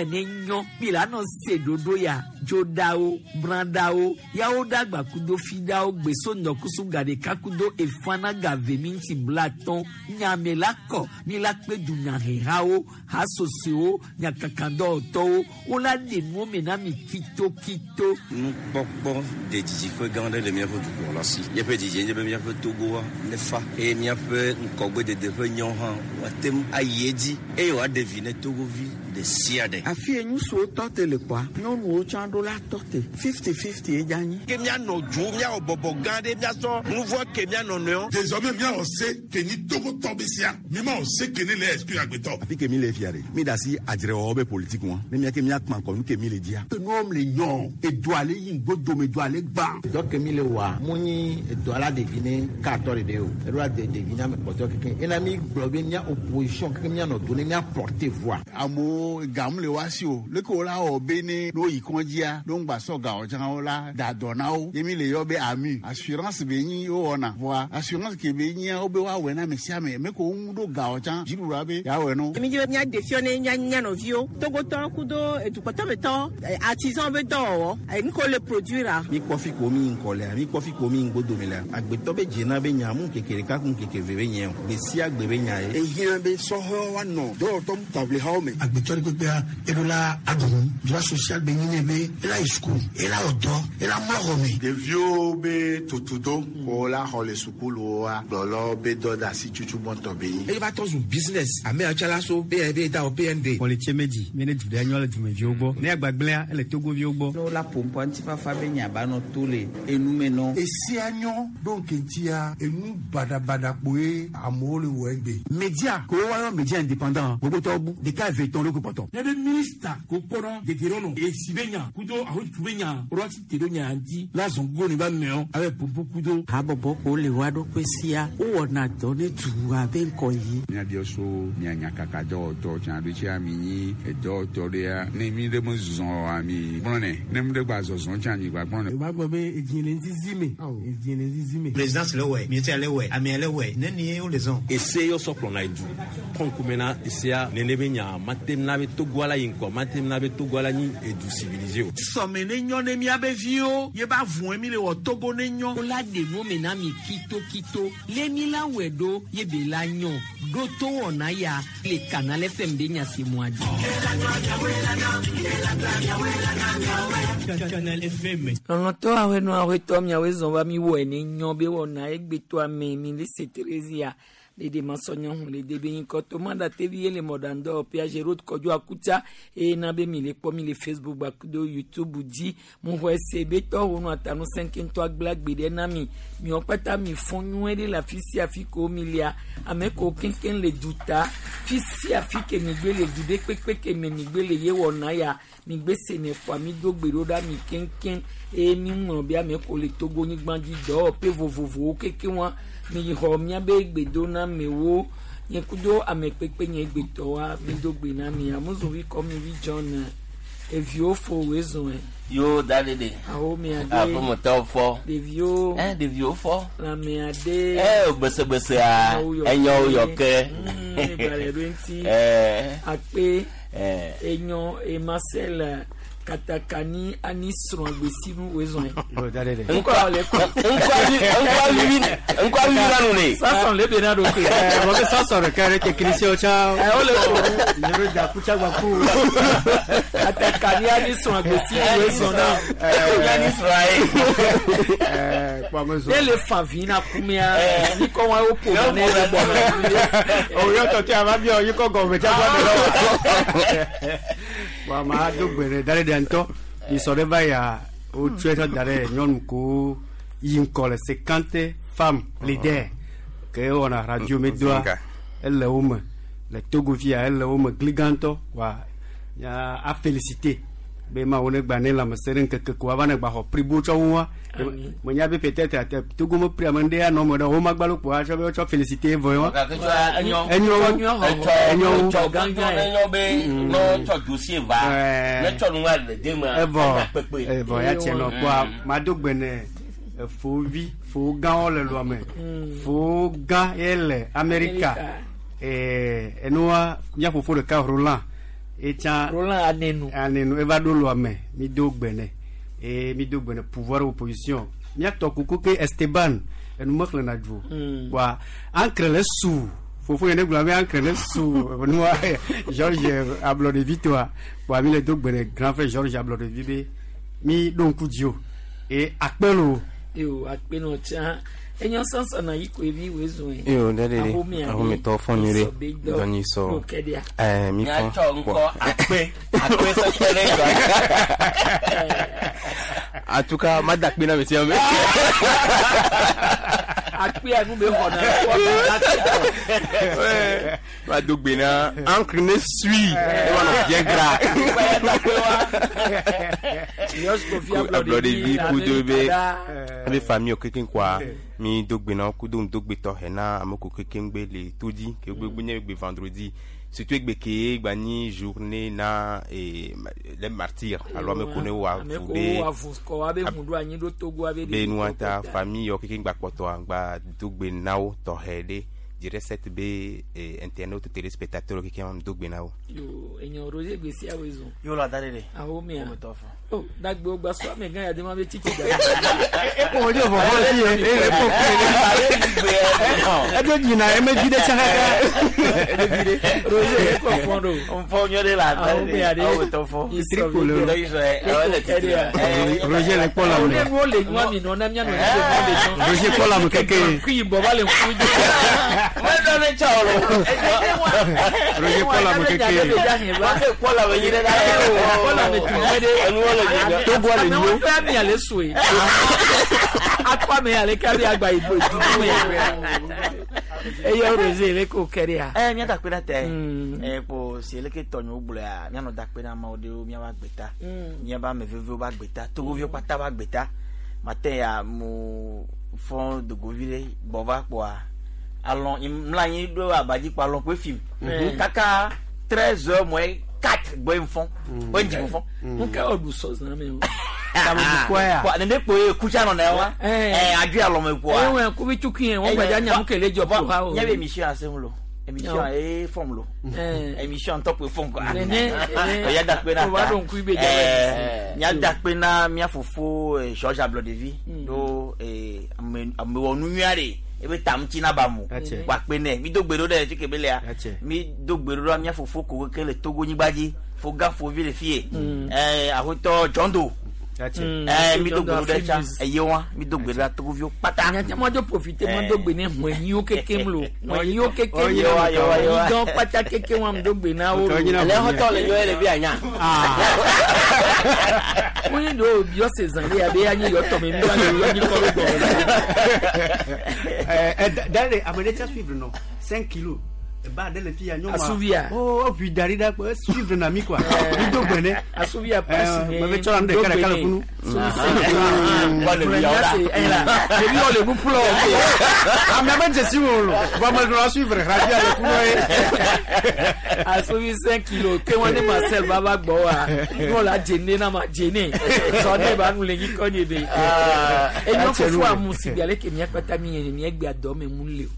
wɛ ne nyɔ mi la nɔ se ɖoɖo ya dzoɖawo brãɖawo yawo ɖagba kudo fiɖawo gbeso ŋdɔkusu gaɖeka kudo efana gave minti blatɔn nyame la kɔ mi la kpe dunyahehawo hasosowo nyakakadɔwɔtɔwo wola ɖe nuwo me na mi kitokito. Nukpɔkpɔ de didiƒe gã aɖe le míaƒe dukplɔla si. Míaƒe didie nye be míaƒe Togoa nefa eye míaƒe ŋkɔgbedede ƒe nyɔ hã woate ŋu ayi edzi eye wòaɖe vi ne Togovi ɖe sia ɖe. Afi ye ŋutsuwo tɔ te le kpɔa, nyɔnuwo tsã ɖo la tɔ te. 50-50 ye dze anyi. Ke míanɔ dzo, míawɔ bɔbɔ gã ɖe, míasɔ nu vɔ̃ ke mía nɔnɔewo. Désormais míawɔ se ke nyi Togotɔ be sia. Mímawɔ se ke ne le exclure agbetɔ. Afi ke mi le fia ɖe, mi da asi adzrewɔwɔ be politique ŋua, ne mía ke míakpã kɔ nu ke mi le dzia. Enuwo le nyɔ, edoa le yi ŋgbodome, doa le gbã. Dɔ ke mi le wɔa, mu nyi edoa la ɖevi ne katɔ ɖeɖe o. Eɖo la de ɖevi na ame kpɔtɔe kekeŋ. Ena mi gblɔ be mía opposition kekeŋ míanɔ do ne mía porter voix. Amewo gam le woa si o. Leke wola wɔ be ne ne woyi kɔdzia, ne woŋgba sɔ ga o tsã wola da dɔ na wo. Ye mi le yɔ be AMU. Assurance be nyi wowɔna. Vɔa assurance ke be nyia wobe woawɔe na ame sia ame. Me ko woŋu ɖo ga o tsã dziɖuɖua be yeawɔe no. Mi dzi be míaɖe fiɔ ne mía mía nɔviwo Togotɔwo kudo edukpɔtɔmetɔwo artisan be dɔwɔwɔ nu ke wole produire. Mi kpɔ fi ko mi yi ŋkɔ lea, mi kpɔ fi ko mi yi ŋgbodome lea. Agbetɔ be dzena be nya mu ŋkeke ɖeka ku ŋkeke eve be nye o. Gbe sia gbe be nya ye. Ehiã be sɔhɛwo woanɔ dɔwɔtɔ taʋlihawo me. Agbetɔ ɖe kpekpea eɖo la aɖu nu. Droit social be nyi nɛ be ela yi suku, ela wɔ dɔ, ela mlɔ xɔ me. Ɖeviwo be tutudo ko la xɔ le sukuluwoa, kplɔlawo be dɔdeasi tutu gbɔntɔ be nyi. Eye va trɔ zu business. Ame ya tsa la so be be da wɔ PND. Kpɔlitse medzi mi ne du ɖe nyɔ le dumeviwo gbɔ. Ne agbagblẽa ele Togoviwo gbɔ. Ne wola ƒoƒoa ŋutifafa be nya ba nɔ to le enume nɔ. Esia nyɔ ɖo ŋkeŋtia enu baɖabaɖa kpoe amewo le wɔ egbe. Media ko woayɔ media indépendant gbogbotɔwo bu ɖeka eve tɔn ɖo kpɔtɔ. Ne be minista ko kpɔna dedienɔnɔ esi be nya kudo ahotutu be nya woɖo asi te ɖo nya ŋuti la zɔn gogo ne ba mɛɔ abe popo kudo. Habɔbɔ ko le woa ɖokui sia wowɔna dɔ ne dua be ŋkɔ yi. Míabiɔ so mia nyakaka dɔwɔtɔ tsã ɖo tsia mi nyi edɔwɔtɔ ɖea ne mi ɖe me zɔzɔ oa mi gblɔ nɛ ne mi ɖe gba zɔzɔ tsã mi gba gblɔ nɛ. Wòva gblɔ be edzi le ŋzizi me, edzi le ŋzizi me. Présidence le wɔe, ministère le wɔe, amea le wɔe, nenie wole zɔn. Ese yɔ sɔ kplɔna edu kɔ ŋkume na esea nene be nya mate na be Togoa la yi ŋkɔ mate na be Togoa la nyi edu civilisé o. Sɔme ne nyɔ ne míabe viwo ye ba vɔe mi le wɔ Togo ne nyɔ. Wola ɖe nuwo me na mi kitokito lé mi la wɔe ɖo ye be la nyɔ ɖo to wɔna ya le Canal FM be nya si mua dzi. Canal FM. Lɔlɔ̃tɔ aƒenɔ aƒetɔ miawoe zɔn va mi wɔe ne nyɔ be wɔna egbetɔa me mi le se Theresia ɖeɖe masɔnyɔ hu le de be ŋkɔ to ma ɖate vi ye le mɔɖaŋdɔ Piaget Road Kɔdzo Akuta eye na be mi le kpɔ mi le Facebook gbakudo YouTube dzi mu xɔe se be tɔwo nu atanu sɛnkɛntɔ agble agbe ɖe na mi miɔ kpata mi fɔ nyuie ɖe le afi sia afi ko mi lia ame ko keŋkeŋ le duta fi sia fi ke mi gbe le du ɖe kpekpe ke me mi gbe le ye wɔna ya mi gbe se ne kpɔa mi do gbe ɖo ɖa mi keŋkeŋ eye mi ŋlɔ be ame ko le Togo nyigba dzi dɔwɔƒe vovovowo kekeŋ wa mi yi xɔ miabe gbedonamewo nye kudo ame kpekpe nye gbetɔwoa mi do gbe na mi amuzuvi kɔ mi vi John eviwo fo woe zɔe. Yo da ɖe ɖe. Awo mia ɖe. Aƒemetɔwo fɔ. Ɖeviwo. Ɛ ɖeviwo fɔ. Lãmea ɖe. Ɛ gbesgbesea enyo yɔ ke. Egbalẽ ɖo ŋuti. Ɛ. Akpe. Ɛ. Enyo Emasel katakani ani srɔ̃ agbesinu woe zɔe. Ŋkɔ ŋkɔ vivi na nu ne. Sasɔn le be na ɖo koe. Mɔ ke sasɔn ɖeka ɖe technicien tsã. Ɛ wole ko. Yɛrɛ da kutsa gba ku. Katakani ani srɔ̃ agbesinu woe zɔn na. Ani srɔ̃ ye. Kpɔ me zɔn. Ne le fa vi na kumea ni kɔ wa wo ƒo ne le gbɔ na. O yɔ tɔtɔ a ma biɔ yi kɔ gɔmɛ tsa gbɔ de lɔ. Wa ma do gbe ɖe da ɖe ɖe ŋutɔ. Mi sɔ ɖe va ya o tsɔe tsɔ da ɖe nyɔnu ko yi ŋkɔ le 50 femmes leader ke wɔna radio me doa ele wo me le Togo fia ele wo me gli gãtɔ wa ya a féliciter be ma wo ne gba ne lãmesẽ ɖe ŋkeke ko ava ne gba xɔ prix bo tsɔ ŋu wa menya be peut-être ate Togo me prix ame ɖe anɔ me ɖe wo magbalẽ kpo atsɔ be wotsɔ féliciter vɔ wa Enyo enyo enyo etsɔ enyo be ne tsɔ dossier va ne tsɔ nua le de me evɔ evɔ ya tiɛ nɔ kpoa ma do gbe ne fovi fo gãwo le lua me fo gã ye le Amerika enua mía fofo ɖeka Roland Etsã Roland Anenu. Anenu eva ɖo lɔa me mi do gbe nɛ eye mi do gbe nɛ pouvoir opposition miatɔ kuku ke Esteban enu mexlẽna dzu wa ancre le su fofo yẹn ne gblɔ be ancre le su nua George Ablɔɖevi toa wa mi le do gbe nɛ grand frère George Ablɔɖevi be mi ɖo ŋku dzi o eye akpe lo. Yo akpe nɔ tsã enyo sɔsɔ na yi koe vi woe zɔn ye. Yo dade de ahometɔ fɔn nyuie ɖe dɔnyi sɔ ɛɛ mi fɔn. Miatsɔ ŋkɔ akpe akpe sɔsɔ ɖe dɔ. En tout cas, ma dakpe na monsieur ame. Akpe anu be xɔ na. Ouais. Ma dogbe na encre ne suit. E ma nɔ bien gras. George Kofi Ablɔɖevi kudo be be famille kekeŋ kɔa mi dogbe na kudo ŋdogbe tɔxɛ na ame ko kekeŋ gbe le to dzi ke gbe nye gbe vendredi surtout egbe ke gba nyi journée na les martyrs alo ame ko ne wa Ame vu ko be wa vu kɔ wa be ŋu ɖo anyi ɖo Togo wa be be nua ta famille yɔ kekeŋ gba kpɔtɔa gba dogbe na wo tɔxɛ ɖe direct set be internaute téléspectateur kekeŋ dogbe na wo. Yo enyo Roger gbèsè awo zɔn. Yo la da de de. Ahomea. Ahometɔ fɔ. Oh dagbe wo gba sɔ ame gã ya de ma be tsitsi da. Ekpo wo dzo vɔvɔ le fi ye. Edo dzina eme vi ɖe tsã kaka. Roger ekɔ fɔn ɖo. Nfɔ nyɔ de la da de de. Ahometɔ fɔ. Triko le Roger le kpɔ la Ne me. nuwo le nua mi nɔ na mía nɔ ne nuwo le nua. Roger kpɔ la me keke. Kui bɔ va le ŋku dzi. Mɛdɔ ne tsɔ o. Roger kpɔ la me keke. Wọ́n kpɔ la me yi ɖe ɖa. Kpɔ la me tu nyuie ɖe. Enuwo le dzi. Togo le Amewo nyo. ƒe ami ale sue. Akɔ ame ale kabi agba yibo dudu me. Eye Roger le ko kɛ ɖe ya. Ɛ mía dakpe na tɛ. Ɛ kpo si eleke tɔnyewo gblɔa míanɔ dakpe na amewo ɖewo míava gbeta. Míava ame vevewo va gbeta. Togoviwo kpata va gbeta. Mate ya mo fɔ dogovi ɖe gbɔ va kpoa alɔ mla anyi ɖo abadzi kpo alɔ kpoe fim. Kaka 13h moins 4 gbɔ ye fɔn. Wo ŋdzi fɔn. Nuka wɔ ɖu sɔzã me o. Kpoa nene kpoe kutsa nɔ na wa. Ɛ adu alɔ me kpoa. Eye wɔn kubi tukui yɛ wɔn gbadza nyamu kele dzɔ ƒo ha o. Nye be émission ase ŋu lo. Émission ye fɔm lo. Émission ŋutɔ kpoe fɔm kɔa. Nene nene Ya dakpe na o va ɖo ŋku be dza. Mía dakpe na mía fofo George Ablɔɖevi ɖo amewɔnu nyui aɖe ebe ta ŋuti na ba mo. Kpa kpe nɛ mi do gbe ɖo ɖe fi ke be lea mi do gbe ɖo ɖe mía fofo ko keke le Togo nyigba dzi fo gã fovi le fie. Aƒetɔ John Doe. Mi do gbe ɖo ɖe tsa eye wa mi do gbe ɖo ɖe Togoviwo kpata. Nyate ma dzo profite ma do gbe ne ŋɔnyiwo kekem lo ŋɔnyiwo kekem lo Yewa, yewa, yewa. ŋdɔ kpata kekem wa do gbe na wo. Ele xɔtɔ le nyɔ ye le bi anya. Wọ́n do biɔ sezan de abe anyi yɔ tɔmɛ mi wa le yɔ nyi kɔ ló gbɔ. Dade ame ɖe tsa suivre nɔ 5 kilos. Eba ɖe le fi ya nyɔnua. Asuvia. Oh, ʋui da ɖi ɖa kpo suivre na mi quoi. Mi do gbe nɛ. Asuvia pasi ne. Me be tsɔ la nu ɖeka ɖeka le funu. Ɖevi wɔ le nu ƒlɔ. Amea be dzesi wo lo. Vɔ ame ɖewo suivre radio le funu ye. Asuvi 5 kilos ke wɔn ne Marcel ba va gbɔ wa n'o la dzene na ma dzene sɔ ne ba nu le nyi kɔ nye de. Enyo fofo amu si bi ale ke mía kpata mi yẹn mi egbe adɔ me mu le o.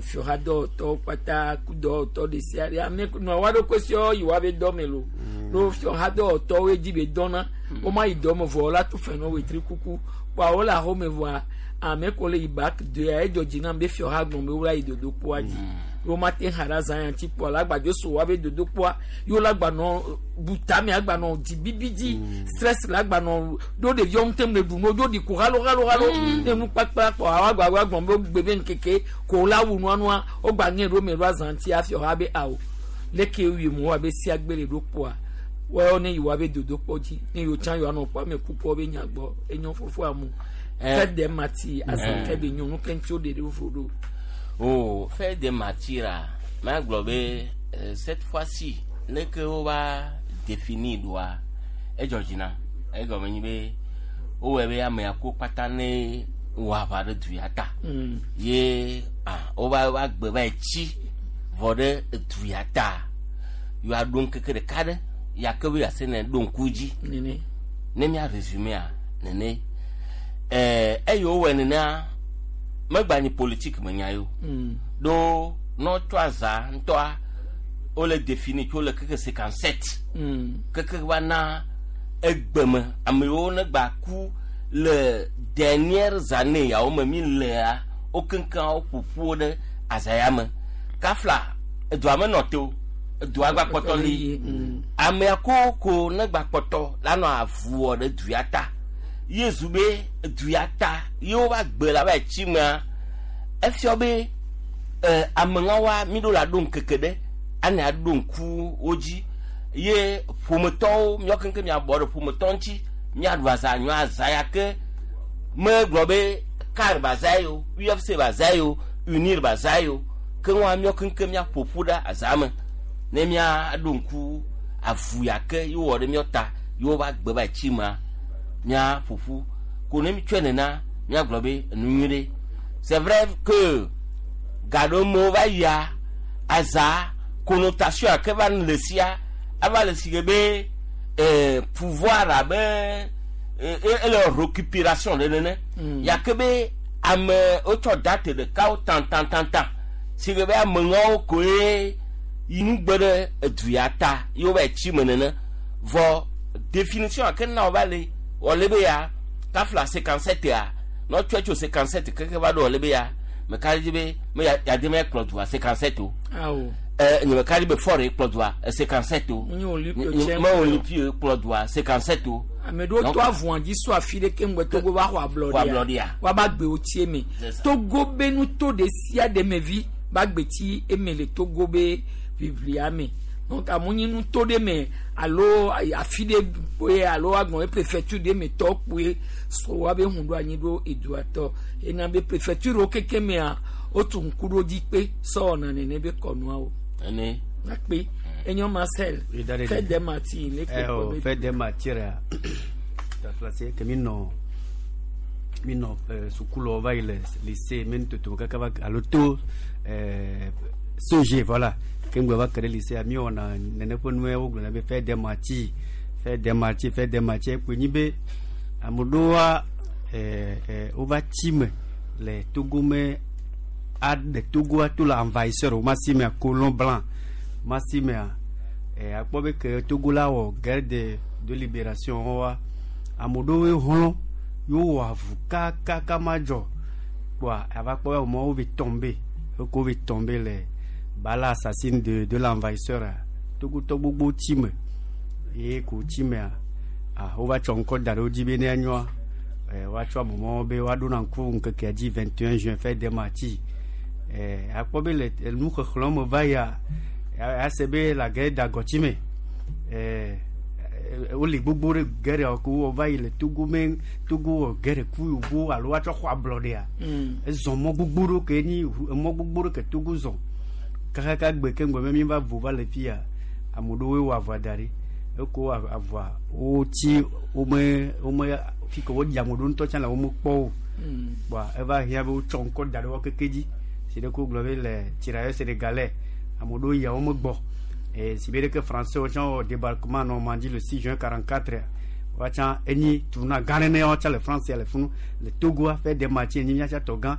Fiɔha dɔwɔtɔwo kpata kudɔwɔtɔ ɖe sia ɖe ame nɔ wa ɖo kosiɔ yi wa be dɔ me lo. Ɖo fiɔha dɔwɔtɔwo dzi be dɔna wo ma yi dɔ me vɔ la tu fɛ nɔ wetri kuku kpoa wo le axome vɔa ame ko le yi bak doya edzɔ dzi nam be fiɔha gbɔn be wo la yi dodokpoa dzi. Wo ma te ha ɖe azã ya ŋuti kpoa la gbadzo so wa be dodokpoa yewo la gbanɔ butame agbanɔ dzi bibi dzi stress la gbanɔ ɖo ɖeviwo ŋute mu le ɖu nu dzo ɖi ko halo halo halo ne nu kpakpa kpɔ awa gba wa gbɔn be gbe be ŋkeke ko la wu nua nua wo gba ŋe ɖo me ɖo azã ŋuti hafi xɔ be awo leke wi mu wa be sia gbe le ɖo kpoa wɔyɔ ne yi wa be dodokpɔ dzi ne yiwo tsã yiwo anɔ kpɔ ame kukɔ be nya gbɔ enyo fofo amu fête des martyrs azã ke be nyɔnu ke ŋuti wo ɖe ɖe vo ɖo. Oh, fête des martyrs magblɔ be cette fois-ci leke wova définir ɖoa edzɔ dzi nam egɔme nyi be wowɔe be amea ko kpata ne wɔ aʋa ɖe du ya ta ye wova va gbe va yi tsi vɔ ɖe edu ya ta yewoa ɖo ŋkeke ɖeka ɖe ya ke be yease ne ɖo ŋku dzi ne mía résumé-a nene eye wowɔe nenea megba nyi politique me nya yo ɖo ne wotsɔ aza ŋutɔa Wole défini tso le keke 57 keke va na egbeme ame yiwo ne gba ku le dernières années yawo me mi lea wo keŋkeŋ wo ƒoƒu ɖe azaya me kafla edua me nɔ te o edua gba kpɔtɔ li amea ko ko ne gba kpɔtɔ la nɔ avu wɔ ɖe du ya ta ye zu be du ya ta ye wo va gbe la va yi tsi mea efiɔ be ameŋawoa mi ɖo la ɖo ŋkeke ɖe ane aɖo ŋku wo dzi ye ƒometɔwo miawo keŋkeŋ miabɔ ɖe ƒometɔ ŋuti miaɖu aza nyɔ aza ya ke megblɔ be CAR ba za yi o UFC ba za yi o UNIR ba za yi o ke ŋua miawo keŋkeŋ miaƒo ƒu ɖe aza me ne miaɖo ŋku avu ya ke ye wowɔ ɖe miawo ta ye wova gbe va yi tsi mea miaƒo ƒu ko ne mi tsɔe nena miagblɔ be enu nyui ɖe. C'est vrai que gaɖewo me va yia aza connotation ake va le sia ava le si ke be pouvoir abe ele récupération ɖe nene ya ke be ame wotsɔ date ɖekawo tantantantan si ke be ameŋawo koe yi nugbe ɖe edu ya ta ye wova yi tsi me nene vɔ définition ake na wova le wɔle be ya kafla 57 ya ne wotsɔe tso 57 keke va ɖo wɔle be ya meka ɖe dzi be me ya yade me kplɔ dua 57 o Awo. Nye meka ɖe be Faure ye kplɔ dua 57 o. Nye Olympio Nye- tsɛ me Olympio ye kplɔ dua 57 o. Ame ɖewo Donc, to avɔa dzi so afi ɖe ke ŋgbe Togo va xɔ Xɔ ablɔɖia ablɔɖia. woaba gbewo tsi eme. C'est ça. Togo be nuto ɖe sia ɖe me vi ba gbe tsi eme le Togo be ʋiʋlia me. Donc amewo nye nuto ɖe me alo afi ɖe kpoe alo agbɔn be préfecture ɖe me tɔ kpoe so woabe hu ɖo anyi ɖo edua tɔ ena be préfecture wo keke mea wotu ŋku ɖo dzi kpe sɔ wɔna nene be kɔnuawo. Ene. Nakpe enyo Marcel fête des martyrs le Eh, oh, fête des martyrs taflase ke mi nɔ mi nɔ sukulu va yi le lycée mi toto kaka va alo to SOG voilà ke ŋgbe va ke ɖe lycée mi wɔna nene ƒe nue wogblɔna be fête des martyrs, fête des martyrs, fête des martyrs kpoe nyi be ame ɖewoa wova tsi me le Togo me aɖe Togoa to le envahisseur wo ma si mea colon blanc ma si mea akpɔ be ke Togo la wɔ guerre de libération wa ame ɖewoe hlɔ̃ yewo wɔ avu kakaka ma dzɔ kpoa ava kpɔ be amewo va tomber eko va tomber le balle assassine de l'envahisseur a Togotɔ gbogbo tsi me ye ko tsi mea ah wova tsɔ ŋkɔ da ɖe wo dzi be ne anyoa woatsɔ amemɔwo be woaɖo na ŋku ŋkekea dzi 21 juin fête des martyrs akpɔ be le nuxexlẽ me va yia ase be la guerre d'Agɔtime wole gbogbo ɖe guerre yawo ke wowɔ va yi le Togo me Togo wɔ guerre ku yovo alo woatsɔ xɔ ablɔɖea ezɔ mɔ gbogbo ɖewo ke nyi emɔ gbogbo ɖe ke Togo zɔ kakaka gbe ke ŋgɔ me mi va vo va le fia ame ɖewoe wɔ avɔa da ɖi eko avɔa wotsi wome wome fi ke wodzi ame ɖewo ŋutɔ tsã le wome kpɔ o kpoa eva hiã be wotsɔ ŋkɔ da ɖe wo keke dzi si ɖe ko gblɔ be le tirailleurs sénégalais ame ɖewo yia wo megbɔ si be ɖeke français wo tsã wɔ débarquement Normandie le 6 juin 44 woatsã enyi tournant gã ɖe ne woatsã le France le funu le Togoa fête des martyrs enyi míatsã tɔ gã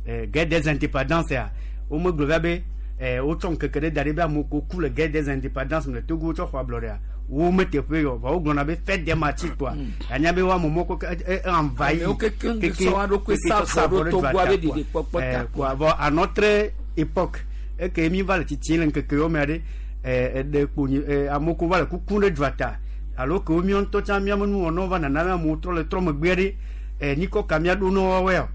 guerre des indépendances ya womegblɔ via be wotsɔ ŋkeke ɖe da ɖi be amewo ko ku le guerre des indépendances le Togo wotsɔ xɔ ablɔɖea wo meteƒe yɔ vɔ wogblɔna be fête des martyrs kpoa anya be woame mɔ ko envahi Amewo kekeŋ sɔ wa ɖokui sa vɔ ɖo Togoa be ɖeɖekpɔkpɔ ta. Kpoa vɔ à notre époque eke mi va le tsitsi le ŋkeke yewo mea ɖe eɖe kpo nyi amewo ko va le kukum ɖe dua ta alo ke wo míawo ŋutɔ tsã míaƒe nuwɔnawo va nana be amewo trɔ le trɔ megbea ɖe nyikɔ ka míaɖo na woawoe o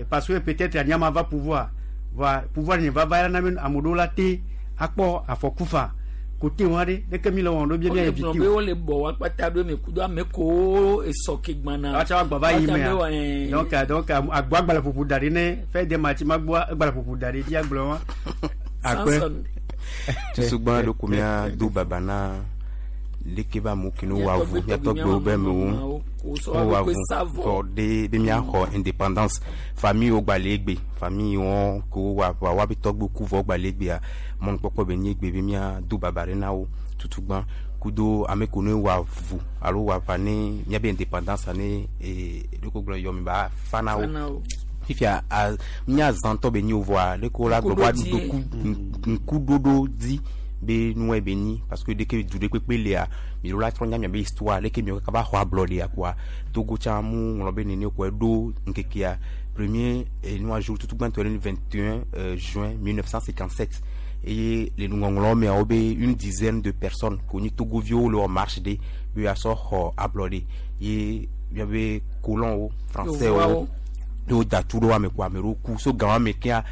parce que peut-être anyama va pouvoir va pouvoir nye va va na be ame ɖewo la te akpɔ afɔku fa kote wa ɖe ɖeke mi le wɔm ɖo bia mia Wole gblɔ éviter be o wole bɔ wa kpata ɖo eme kudo ame kowo esɔ ke gbana. Woatsã woagbɔ va yi Woatsã mea be wa, donc agbɔ agbalẽ ƒoƒo da ɖi ne fête des martyrs magboa egbalẽ ƒoƒo da ɖi dzi agblɔ wa akpe. Samson. Tusugbã ɖo ko mía do baba na leke be amewo ke ne wɔ avu míatɔgbewo be amewo wowɔ avu vɔ ɖe be míaxɔ indépendance famille wo gba le egbe famille wɔn ke wowɔ aʋa woabe tɔgbe ku vɔ gba le egbea mɔnukpɔkpɔ be nye egbe be míado baba ɖe na wo tutugbã kudo ame ko ne wɔ avu alo wɔ aʋa ne míabe indépendance ne ɖeko gblɔ yɔ mi ba fa na wo Fa na wo. Fifia a míazãtɔ be nyi o vɔa leke wo la gblɔ be woaɖo ŋkuɖoɖo dzi. be nua be nyi parce que dès que du ɖe kpekpe lia mi ɖo la trɔ nya miabe histoire leke miawo kaka va xɔ ablɔɖea kpoa Togo tsã mu ŋlɔ be nene kpoa eɖo ŋkekea premier enua jour tutu gbãtɔ le 21 juin 1957 eye le nuŋɔŋlɔwo mea wobe une dizaine de personnes ko nyi togoviwo le wɔ marche ɖe be woasɔ xɔ ablɔɖe ye miabe colonwo français wo ye woda tu ɖo ame ko ame ɖewo ku so gama me kea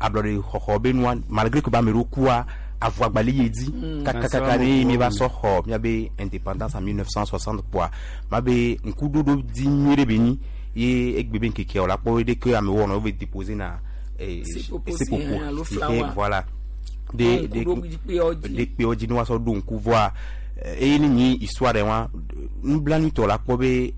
ablɔɖe xɔxɔ be nua malgré que be ame ɖewo kua avɔ agbalẽ ye dzi kakakaka ne mi va sɔ xɔ miabe indépendance en 1960 kpoa ma be ŋkuɖoɖo di nyuie ɖe be nyi ye egbe be ŋkekea wòle akpɔ ɖe ke amewo wɔna wo be déposer na seƒoƒo si ke voilà de de de kpewo dzi ne woasɔ ɖo ŋku vɔa eye ne nyi histoire ɖe wa nublanuitɔ la kpɔ be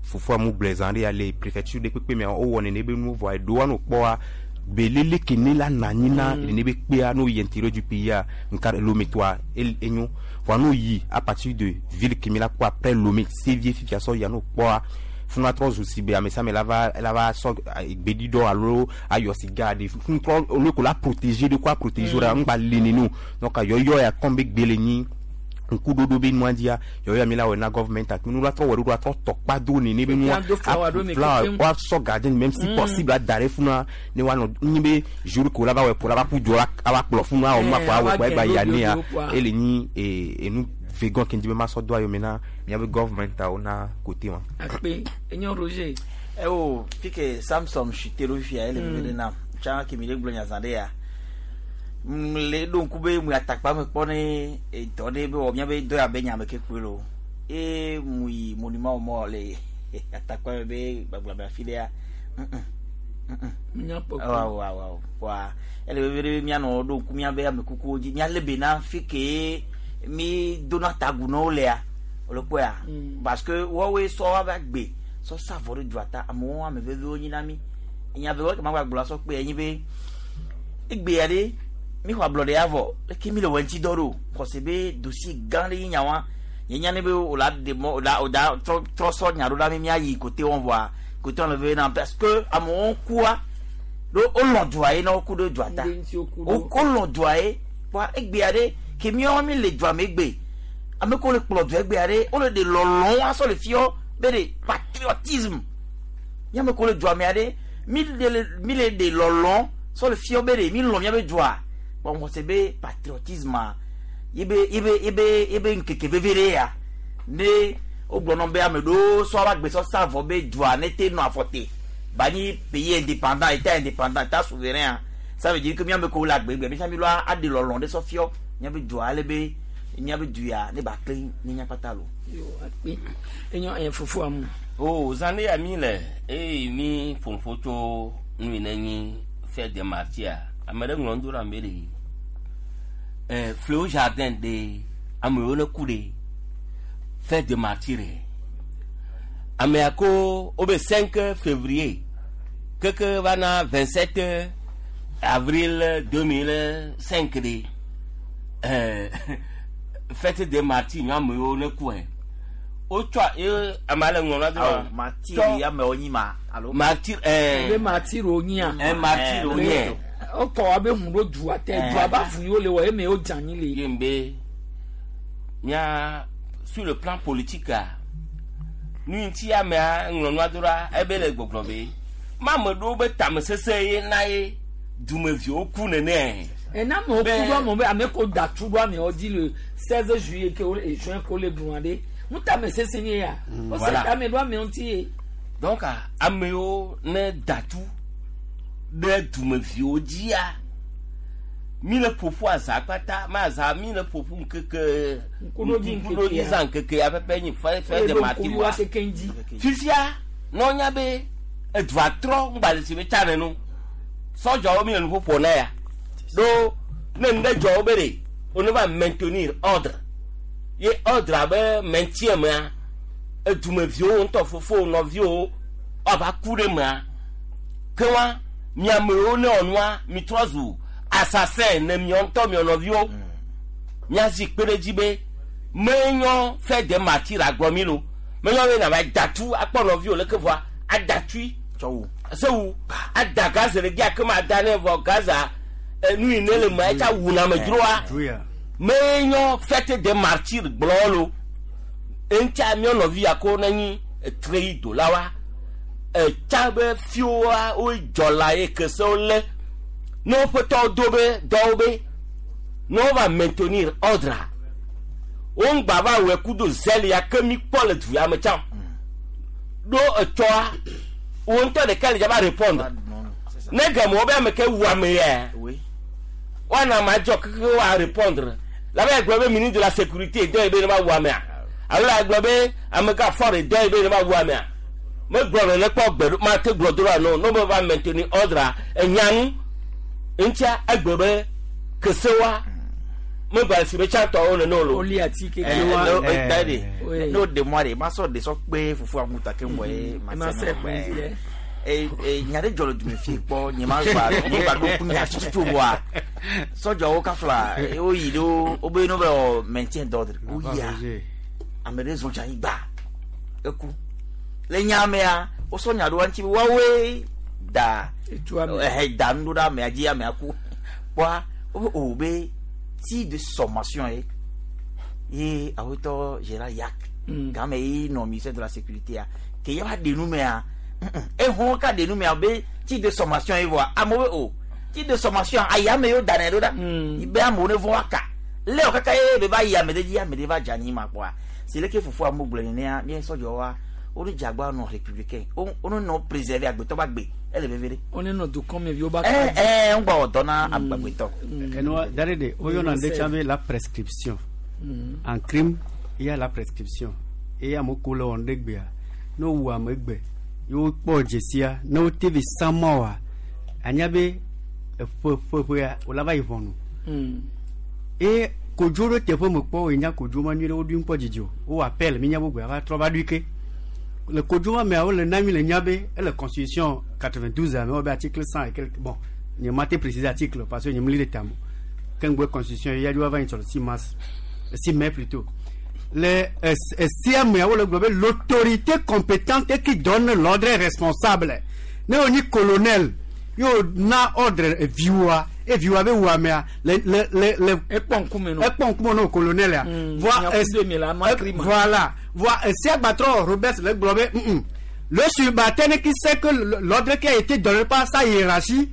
fofoa mu gblɔe zã ɖe ya le préfecture ɖe kpekpe mea wowɔ nene be nuwo vɔa eɖewoa no kpɔa belele ke ne la na anyi na nene be kpea no yi intérieur du pays a nka Lomé toa enyo vɔa no yi à partir de ville ke mi la kpɔ après Lomé Sévie fifia sɔ ya no kpɔa funu atrɔ zu si be ame sia ame la va la va sɔ gbeɖiɖɔ alo ayɔ siga ɖe funu trɔ olu ko la protéger ɖe ko a protéger la ŋgba le nene o donc yɔyɔ ya comme be gbe le nyi ŋkuɖoɖo be nua dzia yɔyɔ mi la wɔ na government ati nu la trɔ wɔ ɖo la trɔ tɔkpa do nene be nua flower woasɔ garden même si possible ada ɖe funua ne woanɔ nyi be jour ko la va wɔ ko la va ƒu du la ava kplɔ funua awɔ nua ko awɔ kɔ egba ya nea ele nyi enu vegan ke ŋdi be masɔ do ayome na miabe government awo na côté wa. Akpe enyo Roger. Ewo fike Samson shite ɖo fifia ele veve ɖe nam tsã ke mi ɖe gblɔ nya zã ɖe ya le ɖo ŋku be mu atakpa me kpɔ ne dɔ ɖe be wɔ miabe dɔ ya be nya me ke kpoe lo eye mu yi monument mɔ le atakpa me be gbagblɔ be afi ɖea awo wa ele veve ɖe mianɔ ɖo ŋku miabe amekukuwo dzi mialé be na fike mi dona tagu na wo lea wòle kpɔea parce que woawoe sɔ woabe agbe sɔ sa avɔ ɖe dua ta amewo ame veviwo nyi na mi nya veviwo ke magba gblɔ asɔ kpe enyi be egbea ɖe mi xɔ ablɔɖe ya vɔ leke mi le wɔ ŋuti dɔ ɖo xɔse be dossier gã ɖe yi nya wa nye nya ne be wòla ɖe mɔ wòla wòda trɔ trɔ sɔ nya ɖo ɖa mi miayi kote wɔn vɔa kote wɔn le veve na parce que amewo kua ɖo wolɔ̃ dua ye na woku ɖe dua ta wolɔ̃ dua ye kpɔa egbea ɖe ke míawo mi le dua me egbe ame kewo le kplɔ dua egbea ɖe wole ɖe lɔlɔ̃ asɔ le fiɔ be ɖe patriotisme míame kewo le dua mea ɖe mi le mi le ɖe lɔlɔ̃ sɔ le fiɔ be ɖe mi lɔ̃ míabe dua kpɔ ŋɔse be patriotisme yebe yebe yebe yebe ŋkeke veve ɖe ya ne wogblɔ nɔ be ame ɖewo sɔ ava gbesɔ sa avɔ be dua ne te nɔ afɔ te ba nyi pays indépendant état indépendant état souverain ça veut dire que míame kewo le agbegbe mi mi lɔ aɖe lɔlɔ̃ ɖe sɔ fiɔ míabe dua ale be míabe du ya ne ba kle ne míakpata lo. Yo akpe enyo ɛ fofoa mu. O zã ɖe ya mi le eye mi ƒoƒo tso nu yi ne nyi fête de martyrs ame ɖe ŋlɔ nu do ɖe ame ɖe ɛ Fléau Jardin ɖe amewo ne ku ɖe fête de martyrs amea ko wobe 5 février keke va na 27 avril 2005 ɖe fête de martyrs nyɔ amewo ne ku ɛ wotsɔ ye ame ale ŋlɔ na do wa martyr amewo nyi ma alo. Martyr ɛɛ be martyr wo nyia. Ɛ martyr wo nyɛ. Wokɔ wa be hun ɖo dua te dua ba fu yiwo le wɔ eme wo dze anyi le. Ye be mía sur le plan politique a nu ŋuti amea ŋlɔ nua do ɖa ebe le gbɔgblɔ be ma ame ɖewo be tamesese ye na ye dumeviwo ku nene. Ena amewo ku ɖo amewo be ame ko da tu ɖo amewo dzi le 16 juillet ke wo juin ko le gblɔa ɖe ŋutamesese nye ya wose tame ɖo amewo ŋuti ye. Donc amewo ne da tu ɖe dumeviwo dzia mi le ƒoƒu azã kpata ma azã mi le ƒoƒu ŋkeke ŋkuɖodzi zã ŋkeke ya pɛpɛ nyi fête de martyrs wa fifia ne wonya be edua trɔ ŋgba le si be tsa nenu sɔdzɔwo mi le nuƒoƒo na ya ɖo ne nu ɖe dzɔ wo be ɖe wo ne va maintenir ordre ye ordre abe maintien mea edumeviwo ŋutɔ fofowo nɔviwo woava ku ɖe mea ke wa miamewo ne wɔnua mi trɔ zu assassin ne miɔ ŋutɔ miɔ nɔviwo miazi kpe ɖe dzi be menyɔ fête de martyrs agblɔ mi lo menyɔ be nava datu akpɔ nɔviwo leke vɔa adatui sewu ada gaz le gia ke ma da ne vɔ gaza Nu yi ne le ma etsa wuna ame dzroa. Menyɔ fête des martyrs gblɔ lo. Eŋtsa míɔ nɔvi ya ko ne nyi etre yi dola wa. Etsa be fiwoa wo dzɔla ye kesewo lé. Ne woƒe tɔwo do be dɔwo be ne wova maintenir ordre wo ŋgba va wɔe kudo zèle ya ke mi kpɔ le du ya me tsã. Ɖo etsɔa wo ŋutɔ ɖeka le dza va répondre. Ne game wo be ame ke wu ame ya. Woana ame adzɔ keke woa répondre. La be gblɔ be ministre de la sécurité dɔ yi be ne va wu amea. Alo la gblɔ be amegã fort dɔ yi be ne va wu amea. Megblɔ nene kpɔ gbe ɖo mate gblɔ do ɖa no ne be va maintenir ordre enyanu. Ŋutsia egbe be kesewa megba si be tsãtɔwo nene o lo. Oli ati keke. Da de n'o de mɔ de ma sɔ de sɔ kpe fufu aŋuta ke ŋgɔ ye ma se nɔ nya ɖe dzɔ le dume fie kpɔ nye ma gba nye gba ɖo ku nya tututu wa sɔdzawo kafla woyi ɖo wobe no be wɔ maintien d'ordre woyia ame ɖe zɔn tsi anyigba eku le nya mea wosɔ nya ɖo ŋuti be woawoe da ɛhɛ da nu ɖo ɖe amea dzi amea ku kpɔa wobe o be tir de sommation ye ye awetɔ Gérard Yak game ye nɔ ministère de la sécurité ya ke ye va ɖe nu mea ehɔn ka ɖe nu mea be tir de sommation ye vɔa amewo be o tir de sommation ayame yewo da nɛ ɖo ɖa be amewo ne vɔ aka lé wɔ kaka ye be va yi ame ɖe dzi ame ɖe va dze anyi ma kpɔa si leke fofoa mo gblɔ nenea mía sɔdzɔwoa wo ne dze agba nɔ républicain wo ne nɔ préserver agbetɔ ba gbe ele veve ɖe. Wo ne nɔ dukɔ me viwo ba. Ɛɛ ɛɛ ŋgbɔ wɔ dɔ na agbetɔ. Enua da ɖe de woyɔna ɖe tsã be la prescription. En crime il y a la prescription eye amewo ko le wɔm ɖe gbea ne wowu ame gbe ye wokpɔ dzesia ne wote vi sama oa anya be eƒe ƒe ƒea wòla va yi ʋɔnu. Eye kodzo ɖo teƒe me kpɔ wo nya kodzo ma nyuie ɖe woɖui ŋkpɔ dzidzi o wowɔ appel mi nya gbogbo ava trɔ va ɖui ke le kodzo ma mea wole na mi le nya be ele constitution 92 ame wo be article 100 et quelque bon nye ma te préciser article parce que nye mli ɖe ta mo ke ŋgbe constitution ya dzo va yi sɔ le 6 mars 6 mai plutôt le esia mea wole gblɔ be l'autorité compétente qui donne l'ordre est responsable ne wo nyi colonel yo na ordre eviwoa eviwoa be wu amea le le le le ekpɔ ŋkume nɔ ekpɔ ŋkume nɔ colonel ya voilà voa esia gbatrɔ Robert le gblɔ be le subalterne qui sait que l'ordre qui a été donné par sa hiérarchie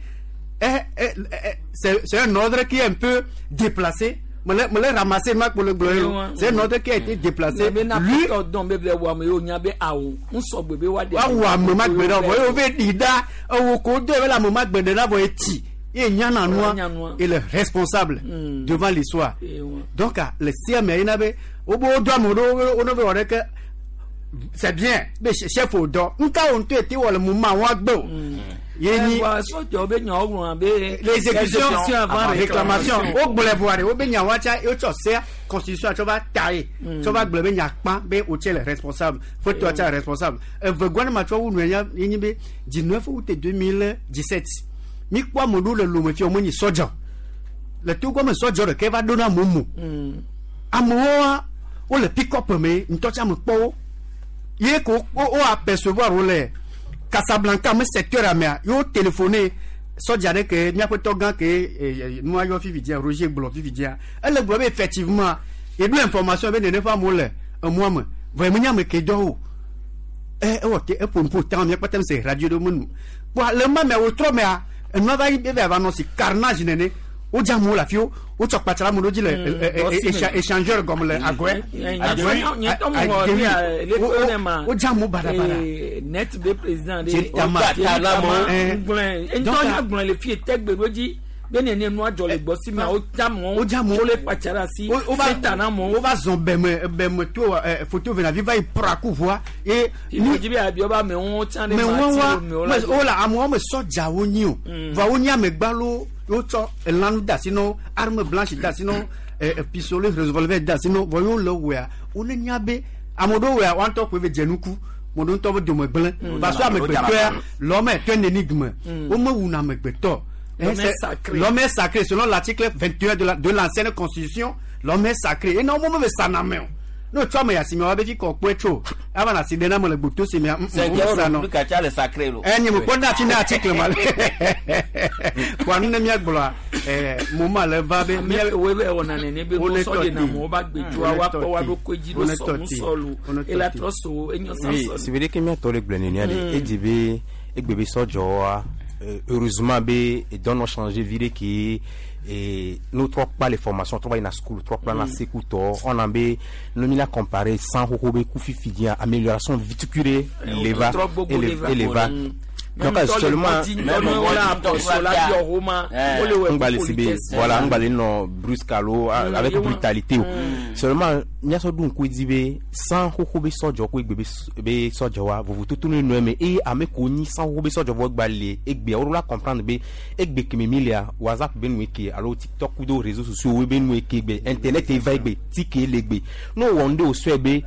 c'est un ordre qui est un peu déplacé. Me le ramasser ma pour le gblɔ c'est un ordre qui a été déplacé. Lui dɔn be bɛ wɔ ame yewo nya be awo ŋusɔ gbe be wa de. Wa wɔ ame ma gbe ɖe vɔ ye wo be ɖi da ewo ko do ye be le ame ma gbe ɖe na vɔ etsi ye nyana nua il est responsable devant l'histoire. Donc le sia me yina be wo be wo do ame ɖewo wo ne be wɔ ɖe ke c'est bien be chef o dɔ nka wo ŋutɔ ete wɔ le moment wa gbe o. Yeni l'exécution avant réclamation wo gblɔe vɔa ɖe wo be nya wa tsa wotsɔ sea constitution tsɔ va ta ye tsɔ va gblɔ be nya kpã be wotse le responsable fotɔ tsa responsable evegɔa ne ma tsɔ wu nu ye nyi be 19 août 2017 mi kpɔ ame ɖewo le lome fia wo menyi sɔdza le togo me sɔdza ɖeke va ɖo na amewo mo amewoa wole pick-up me ŋutɔ tsa me kpɔ wo ye ko wo apercevoir wo le Casablanca me secteur amea yo téléphoné sɔdza ɖe ke míaƒe tɔgã ke nua yɔ fifi dzia Roger gblɔ fifi dzia ele gblɔ be effectivement eɖo information be nene ƒe amewo le emɔa me vɔ eme nye ame ke dɔ o ewɔ te eƒo nuƒo ta mía kpata mi se radio ɖe me nu kpɔa le ma mea wotrɔ mea enua va yi be va nɔ si carnage nene wodze amewo le afi wo wotsɔ kpatsra ame ɖewo dzi le échangeur gɔme le agɔe wodze amewo baɖabaɖa. Net be président de Tama ŋgblɔe ŋutɔ ya gblɔe le fie tɛgbe ɖo dzi be nene nua dzɔ le gbɔ si mea wodze amewo wole kpatsa ɖe asi feta na amewo. Wova zɔn bɛmɛ bɛmɛ to foto vena vi va yi pra ku ʋua ye. Ni dzi be abiɔ be amewo tsã ɖe ma ti wo la amewo me sɔdzawo nyi o va wo nyi amegbalo wotsɔ elanu da asi na wo arme blanche da asi na wo pistolet revolver da asi na wo vɔ yewo le wɔa wo ne nya be ame ɖewo wɔa woa ŋutɔ koe be dze nuku ame ɖewo ŋutɔ be dome gblẽ parce que amegbetɔa l'homme est un énigme womewuna amegbetɔ. L'homme est sacré selon l'article 21 de l'ancienne constitution. L'homme est sacré. Et non, moi, je ça n'a mais. No, tu vois, mais si me fi kɔ tso ava na si ɖe na me le gboto si mea. Cinquième république tsa le sacré lo. Ɛ nye me kpɔ na fi na article ma le. Kɔ anu ne mía gblɔa Moment le va be ame wo be wɔna nene be Wo ne sɔ de tɔ na te. mɔ ba gbedzoa Wo ne wa tɔ kpɔ wa te. ɖo koe dzi Wo ɖo ne sɔ tɔ nu te. sɔ lu Wo ne tɔ ela te. trɔ so enyo Oui, sãsɔ c'est vrai que miatɔ le gblɔ nenea de Mm. edzi be egbe be sɔdzɔwoa heureusement be edɔ nɔ changer vi ɖe ke no trɔ kpa le formation trɔ va yina school trɔ kpla na Mm. sekutɔ ɔna be no mi la comparer san xoxo be ku fifi dzia amélioration vitikure le va trɔ gbogbo ele le va. ele va Mm. donc Même tɔ le seulement kɔdzi, ŋutɔ ne wole apɔsɔ la biɔ homa, wole wɔ ngbale si be politesse. voilà ngbale nɔ brusque alo Mm, avec ye wa- brutalité o seulement miasɔ ɖo ŋku edzi be san xoxo be sɔdzɔ ko egbe be be sɔdzɔ wa vovototo ne nɔ eme eye ame ko nyi san xoxo be sɔdzɔ vɔ gba le egbea wo ɖo la comprendre be egbe keme mi lea whatsapp be nu eke alo tiktok kudo réseaux sociaux wo be nu eke egbe internet eva egbe tike le egbe ne wowɔ nu ɖe wòsɔe be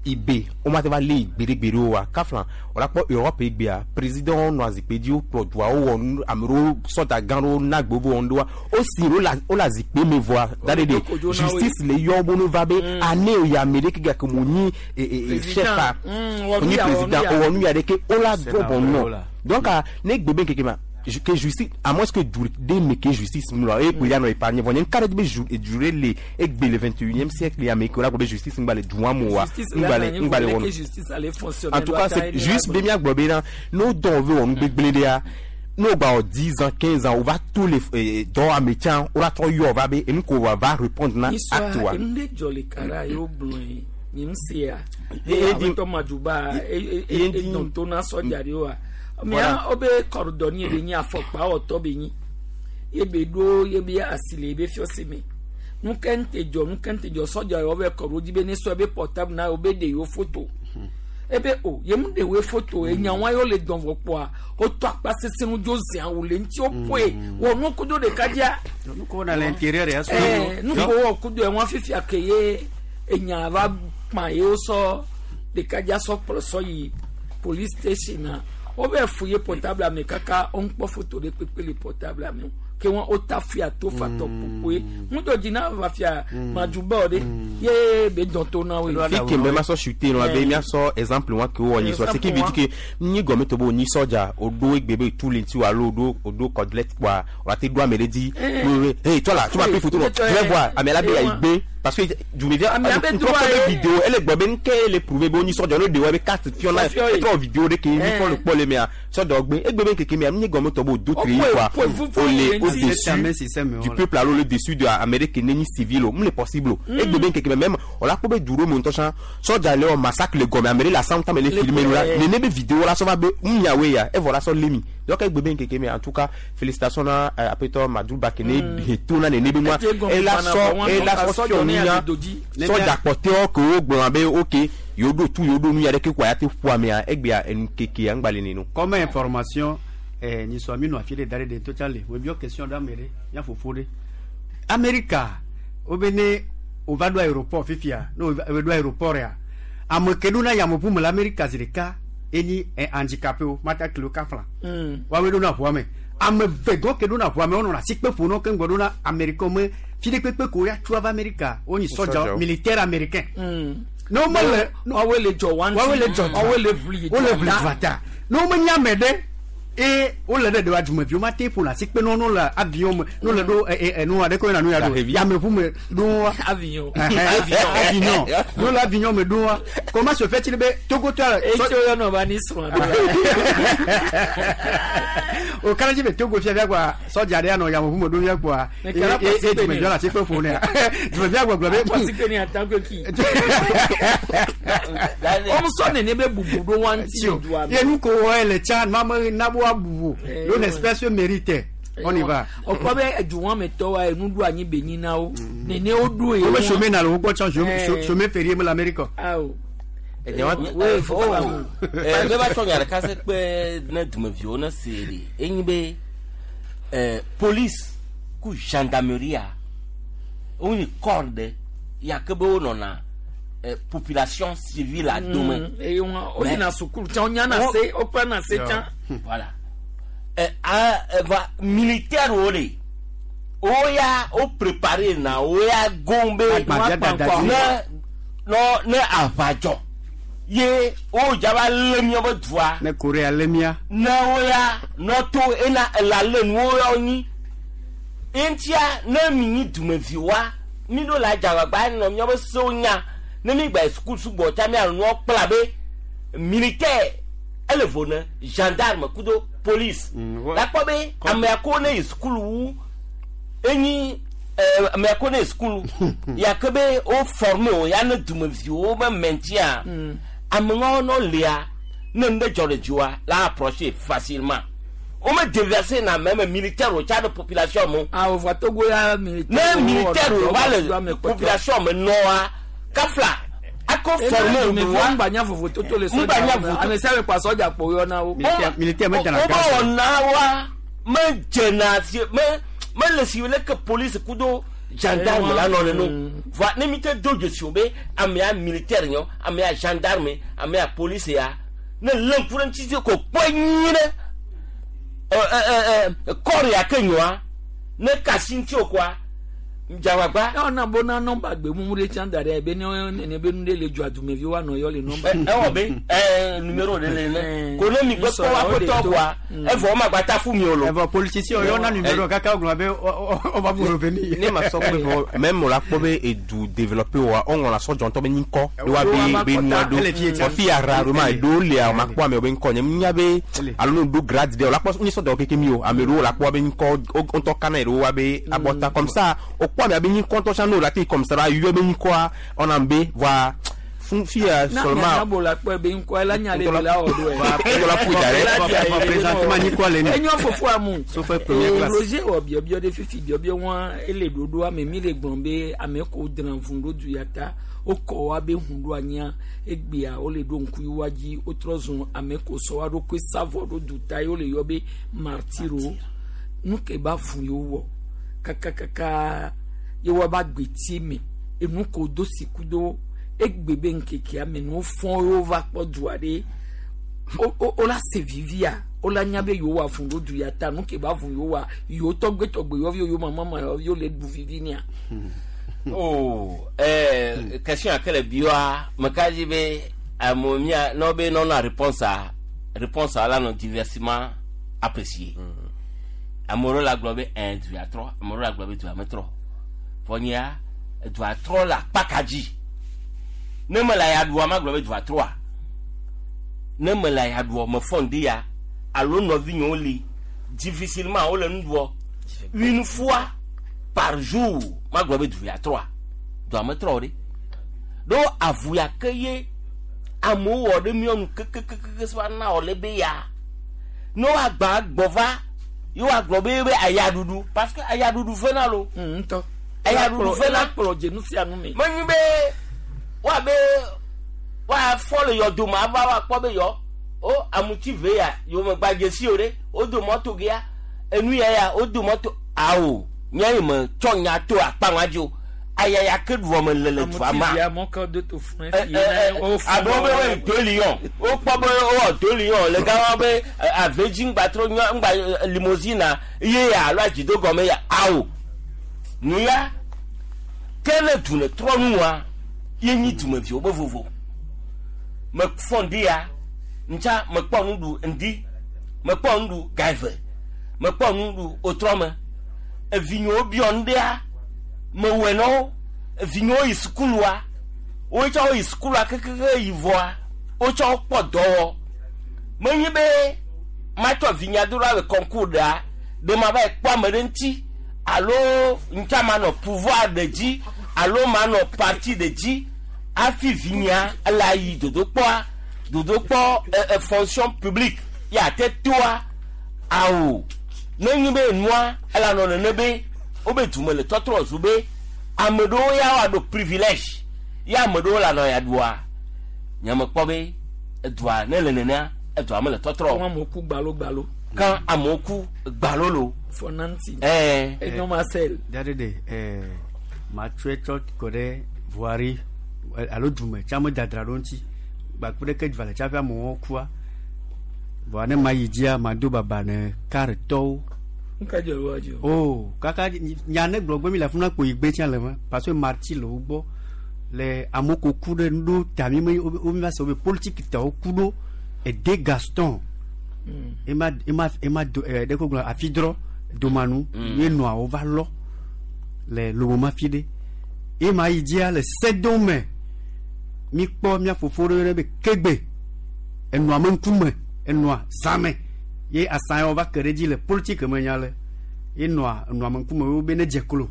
ibe womate va lé gbeɖegbeɖe o wa kafla wòla kpɔ europe egbea président nɔ azikpui dzi wokplɔ dua wowɔ nu ame ɖewo sɔdza gã ɖewo na gbe wo wɔ nu ɖewoa wosi ɖe wole azikpui me vɔa da ɖe ɖe kodzo na woe. justice le yɔ wo no va be ane ya ame ɖe ke gake mo nyi Président. chef a Mm, wɔ o nyi nu ya, wɔ nu président ya. o wɔ nu ya ɖe ke wola C'est drɔ la bɔnu vraie, nɔ là. donc ne gbe be ŋkeke ma que justice à moins que du de me ke justice mu la e ko ya nɔ épargné vɔ nye ŋka ɖe be ju ɖe le egbe le 21e siècle ya me ke wola gblɔ be justice ŋgba le dua mo wa Justice la ŋgba le na nyi ŋgba le voulait wɔnu que justice allait fonctionner. en tout cas c'est juste be miagblɔ be na ne wodɔ wo be wɔ nu gbegblẽ ɖea ne wogba wɔ 10 ans 15 ans wova to le dɔ ame tsã wola trɔ yɔ va be enu ko wa va répondre na acte wa Isua enu ɖe dzɔ le kara ye wogblɔ ye nye ŋu sea Ye- ye di- awetɔ madzuba ye di- edɔn to na sɔdza ɖewoa Voilà. mia wobe kɔrɔdɔni ye be nyi afɔkpa wɔtɔ be nyi ye be ɖo ye be asi le ye be fiɔsi me nuke ŋte dzɔ nuke ŋte dzɔ sɔdza yewo be kɔrɔ dzi be ne sɔ ebe portable na yewo be ɖe yewo foto ebe o ye mu ɖe woe foto enyawa yewo le dɔn vɔ kpɔa wotɔ akpa sese nu dzo zia wo le ŋuti woƒoe wɔ nu kudo ɖeka dzia Nu ko na l'intérieur ya so. nu ko wɔ kudo ɛwọn fifia ke ye enya va kpa ye wosɔ ɖekadza sɔ kplɔ sɔ yi police station na wo bɛ fu ye portable ame kaka wo ŋkpɔ foto ɖe kpekpe le portable ame o ke wɔn wota fia to fatɔ kpokpoe ŋutɔ dzi na va fia madzuba ɖe ye be dɔn to na woe. fi ke me ma sɔ chute nɔ be miasɔ exemple wa ke wowɔ nyi sɔ ce qui veut dire que nyi gɔme to be o nyi sɔdza o ɖo egbe be tu le ŋuti o alo o ɖo o ɖo cordlette kpoa o la te ɖo ame ɖe dzi Eh. hey toi là tu m'as pris photo non Eh. tu vas voir ame la be Eh, ya igbe parce que dumevia Ame abe ŋkɔ droit be ye. vidéo ele gblɔ be nke le prouver be o nyi sɔdza ne ɖe wo be carte fiɔ na Fiɔ ye. etrɔ vidéo ɖe ke mi Eh. kɔ le kpɔ le mea sɔdza gbe egbe be ŋkeke mea nyi gɔme tɔ be o do tri O quoi poe- poe fufu o le ye o ŋuti. dessus du peuple alo le dessus de ame ɖe ke ne nyi civil o mu le possible o Mm. egbe be ŋkeke me même o la kpɔ be du ɖo me ŋutɔ tsã sɔdza le wɔ massacre le gɔme ame ɖe le asam tame le Le filmer nu la eh. nene be vidéo la sɔ va be ŋunyawoe ya evɔ la sɔ lé mi donc egbe be ŋkeke me en tout cas félicitations na apetɔ Madouba ke ne he to na nene be nua Ete gɔme ela fana sɔ vɔ, wɔn ela tɔ sɔ ka fiɔ sɔdza ne nunya ya do dzi. sɔdza kpɔtɛwo ke wo gblɔna be ok yewo ɖo tu yewo ɖo nu ya ɖe ke koa ya te ƒo amea egbea enu keke ya ŋgba le neno. Comme information, ni so mi no afi le dare de to chale. We bio question da mere, ya fofo de. America, o be ne o va do aéroport fifia. No o do aéroport ya. Ame ke do na ya mo pu me l'America zirika eni handicapé o mata kilo ka fla. Wa we do na ʋua me. Ame ve gɔn ke do na ʋua me wonɔ asi kpe ƒo nɔ ke ŋgɔ do na Amerika me fi ɖe kpekpe ko ya tso ava Amerika wonyi sɔdza Sɔdzawo. militaire américain. Ne wo mele Woawoe le dzɔ wa ŋuti. woawoe le dzɔ Woawoe le ʋli wole dua ʋli ta. dua ta. Ne wo menya ame ɖe eye wole ɖe ɖewa dumeviwo ma te ƒona asi kpe ne wo le avion me ne wole ɖo enu aɖe ko yina nu ya ɖo yameʋu me ɖo wa. Avion. Avion. Ne wole avion me ɖo wa. Comment se fait-il be Togotɔ Etso yɔnɔ va ni srɔ̃ ɖo la. o kana dzi be Togo fia fia kpoa sɔdza ɖe anɔ yameʋu me ɖo fia kpoa Ne kala eye pasi eye dumeviwo le asi kpe ƒo nea dumevia gbɔgblɔ be Pasi ke ni atakwe ki. Wɔn sɔ nene be bubu ɖo wa ŋuti le dua me. ye nu ko wɔ le tsa mame nabo abu o l'on espère se mérite on y va. Ɔkpɔ be edu wɔn me tɔ wa enu ɖo anyi be nyi na wo. Nene wo ɖo ye. wo be chômer na le wo gbɔ tsã Eh. chômer férié me le Amérique. Awo. Eh, oh, eh, ne va tsɔ nya ɖeka se kpe ne dumeviwo ne se ɖe enyi be police ku gendarmerie wonyi corps ɖe ya ke be wonɔna population civile a dome. Eye wɔn wo yina sukulu tsã wo nyana se wo kplana se tsã. Voilà. Va militaire wo le wo ya wo préparé na wo ya gɔn be ne nɔ ne aʋa dzɔ ye wo dzaba lé miabe dua ne Korea lé mia. ne wo ya nɔ to ena ela lé nu wo ya wo nyi Eŋutia ne mi nyi dumeviwoa, mi ɖo le adzagbagba nɔ míaƒe sewo nya. Ne mi gba yi sukulu sugbɔ tsa mia nɔ kpla be militaire ele vo ne gendarme kudo police. La kpɔ be amea ko ne yi sukulu wu enyi amea ko ne yi sukulu ya ke be wo forme o ya ne dumeviwo be maintien ameŋawo nɔ lia ne nu ɖe dzɔ ɖe dziwoa la approcher facilement. Wo me déverser na même militaire o tsa ɖe population me. Ah, o va Togo ya militaire. Ne militaire o va le population me nɔa kafla ako forme o wa. Ŋgba nya vovototo le sɔdza Ŋgba nya me. vovototo. Ame sia ame kpa sɔdza kpo yɔna wo. Militaire me dana Wo gaz. wɔna wa me dzena si me me le si leke police kudo gendarme la nɔ neno. Voa ne mi te do dzesi o be amea militaire nyɔ, amea gendarme, amea police ya ne lé ŋku ɖe ŋuti ko kpɔe nyuie ɖe ɛ ɛ ɛ ɛ kɔri ya ke nyɔa ne kasi ŋuti o koa dzagbagba. Ɛ ɔna bona nɔmba gbemumu ɖe tsã da ɖe ebe ne nene be nu ɖe le dzɔ adumevi woanɔ yɔ le nɔmba. Ewɔ be ɛ numéro ɖe le ne ko ne mi gbe kpɔ wa ƒetɔ koa evɔ wɔma gbata fu mi o lo. Evɔ politicien yɔ na numéro kaka wogblɔ be on va vous revenir. Ne ma sɔ kpe vɔ même o la kpɔ be edu développé wa o ŋlɔna sɔdzɔ ŋutɔ be ŋkɔ de wa be be nua ɖo vɔ fi ya ra ɖo ma eɖewo lia o ma kpɔ amewo be ŋkɔ nye nya be alo ne ɖo grade ɖe o la kpɔ nye sɔdzɔ keke mi o ame ɖewo la kpɔ be ŋkɔ wo ŋutɔ kana ɖewo wa be abɔta comme ça o kpɔ amea be ŋkɔ ŋutɔ tsã ne o la te comme ça la yɔ be ŋkɔa ɔna be voa fún fi ya Na seulement nya bo la kpɔe be ŋkɔ la nya le be la wɔ ɖo Ŋutɔ la ƒo da ɖe. Présentement ŋkɔ le ni. Enyo fofo amu. Sauf première classe. Roger wɔ biɔbiɔ ɖe fifi biɔbiɔ wa ele ɖoɖo ame mi le gblɔm be ame ko drã vun ɖo du ya ta wokɔ wa be hun ɖo anyia egbea wole ɖo ŋku yi wa dzi wotrɔ zɔn ame ko sɔ wa ɖokui savɔ ɖo du ta ye wole yɔ be martiro nu ke ba fun yewo wɔ kakakaka ye wa ba gbeti me enu ko do siku do egbe be ŋkekea me ne wofɔ yewo va kpɔ dua ɖe wo la se vivia wo la nya be yewo wa fun ɖo du ya ta nu ke ba fun yewo wa yewo tɔgbetɔgbe yɔvi yewo mama yɔvi le ɖu vivi nia. Oh, question à quelle bioa, me kaji be amewo mia ne wobe nɔnɔ réponse a réponse a la nɔ diversement apprécié. Ame ɖewo la gblɔ be ɛn du ya trɔ, ame ɖewo la gblɔ be dua metrɔ. Vɔ nyea dua trɔ le akpa ka dzi. Ne mele aya ɖua ma gblɔ be dua trɔa. Ne mele aya ɖua mefɔ ŋdi ya alo nɔvinyewo li difficilement wole nu ɖuɔ une fois par jour ma gblɔ be du ya trɔa. Dua metrɔ o ɖe. Ɖo avu ya ke ye amewo wɔ ɖe míɔ nu kekekeke sɔ na wɔ le be ya. Ne woagba gbɔ va ye woagblɔ be be ayaɖuɖu parce que ayaɖuɖu fena lo. Ŋutɔ. Ayaɖuɖu fena. Kplɔ dzenu sia nu me. Menyi be woabe woafɔ le yɔdome ava woakpɔ be yɔ o amuti ve ya yomegba dzesi o ɖe wodo mɔto gea enu ya ya wodo mɔto awo nye yi me tsɔ nya to akpa ŋua dzi o ayaya ke ɖuɔ me le le dua ma. Amuti via mɔkɔ do to fún Ɛ, ɛ, ɛ, abe wo be wo yi deux lions wokpɔ be wowɔ deux lions le gama be avedzi ŋgba trɔ nyɔ ŋgba limousine ye ya alo adzido gɔme ya awo nu ya ke ne du ne trɔ nua ye nyi dumeviwo be vovo mefɔ ŋdi ya ŋtsa mekpɔ nu ɖu ŋdi mekpɔ nu ɖu ga eve mekpɔ nu ɖu otrɔ me evinyewo biɔ ŋɖea mewɔe na wo evinyewo yi sukulua wotsɔ wo yi sukulua kekeke yi vɔa wotsɔ wo kpɔ dɔwɔ menyi be matsɔ vinya do ɖa le concours ɖea ɖe ma va yi kpɔ ame ɖe ŋuti alo ŋutsa manɔ pouvoir ɖe dzi alo manɔ parti ɖe dzi hafi vinya ele ayi dodokpɔa dodokpɔ ɛ ɛ fonction publique ya te toa awo nenyi be nua ele anɔ nene be wobe dume le tɔtrɔ zu be ame ɖewo ya woaɖo privilège ya ame ɖewo le anɔ ya ɖua nye me kpɔ be edua ne le nenea edua me le tɔtrɔ. Kɔn amewo ku gbalo gbalo. Kan amewo ku gbalo lo. Fɔnanti. Ɛɛ. Enyo ma sel. Dade de ɛɛ matsɔe tsɔ kɔ ɖe voirie alo dume tsa me dadra ɖo ŋuti gbakpe ɖeke dua le tsaƒe amewo kua vɔa ne ma yi dzia ma do baba ne karetɔwo. Nka dzɔ wa dzɔ. O kaka nya ne gblɔ gbe mi le afuna kpo yi gbe tsã le ma parce que marti le wo gbɔ le amewo ko ku ɖe nuɖo tami me wo mi va se wo be politique tɔwo ku ɖo ede Gaston ema ema ema do ɛ ɖe ko gblɔ afi drɔ domanu ye nɔa wova lɔ le lomoma fi ɖe ye ma yi dzia le sedome mi kpɔ mía fofo ɖe yɔnɛ be kegbe enɔa me ŋkume enɔa zãme ye asã yawo va ke ɖe dzi le politike me nya le ye nɔa enɔa me ŋkume wo be ne dze klo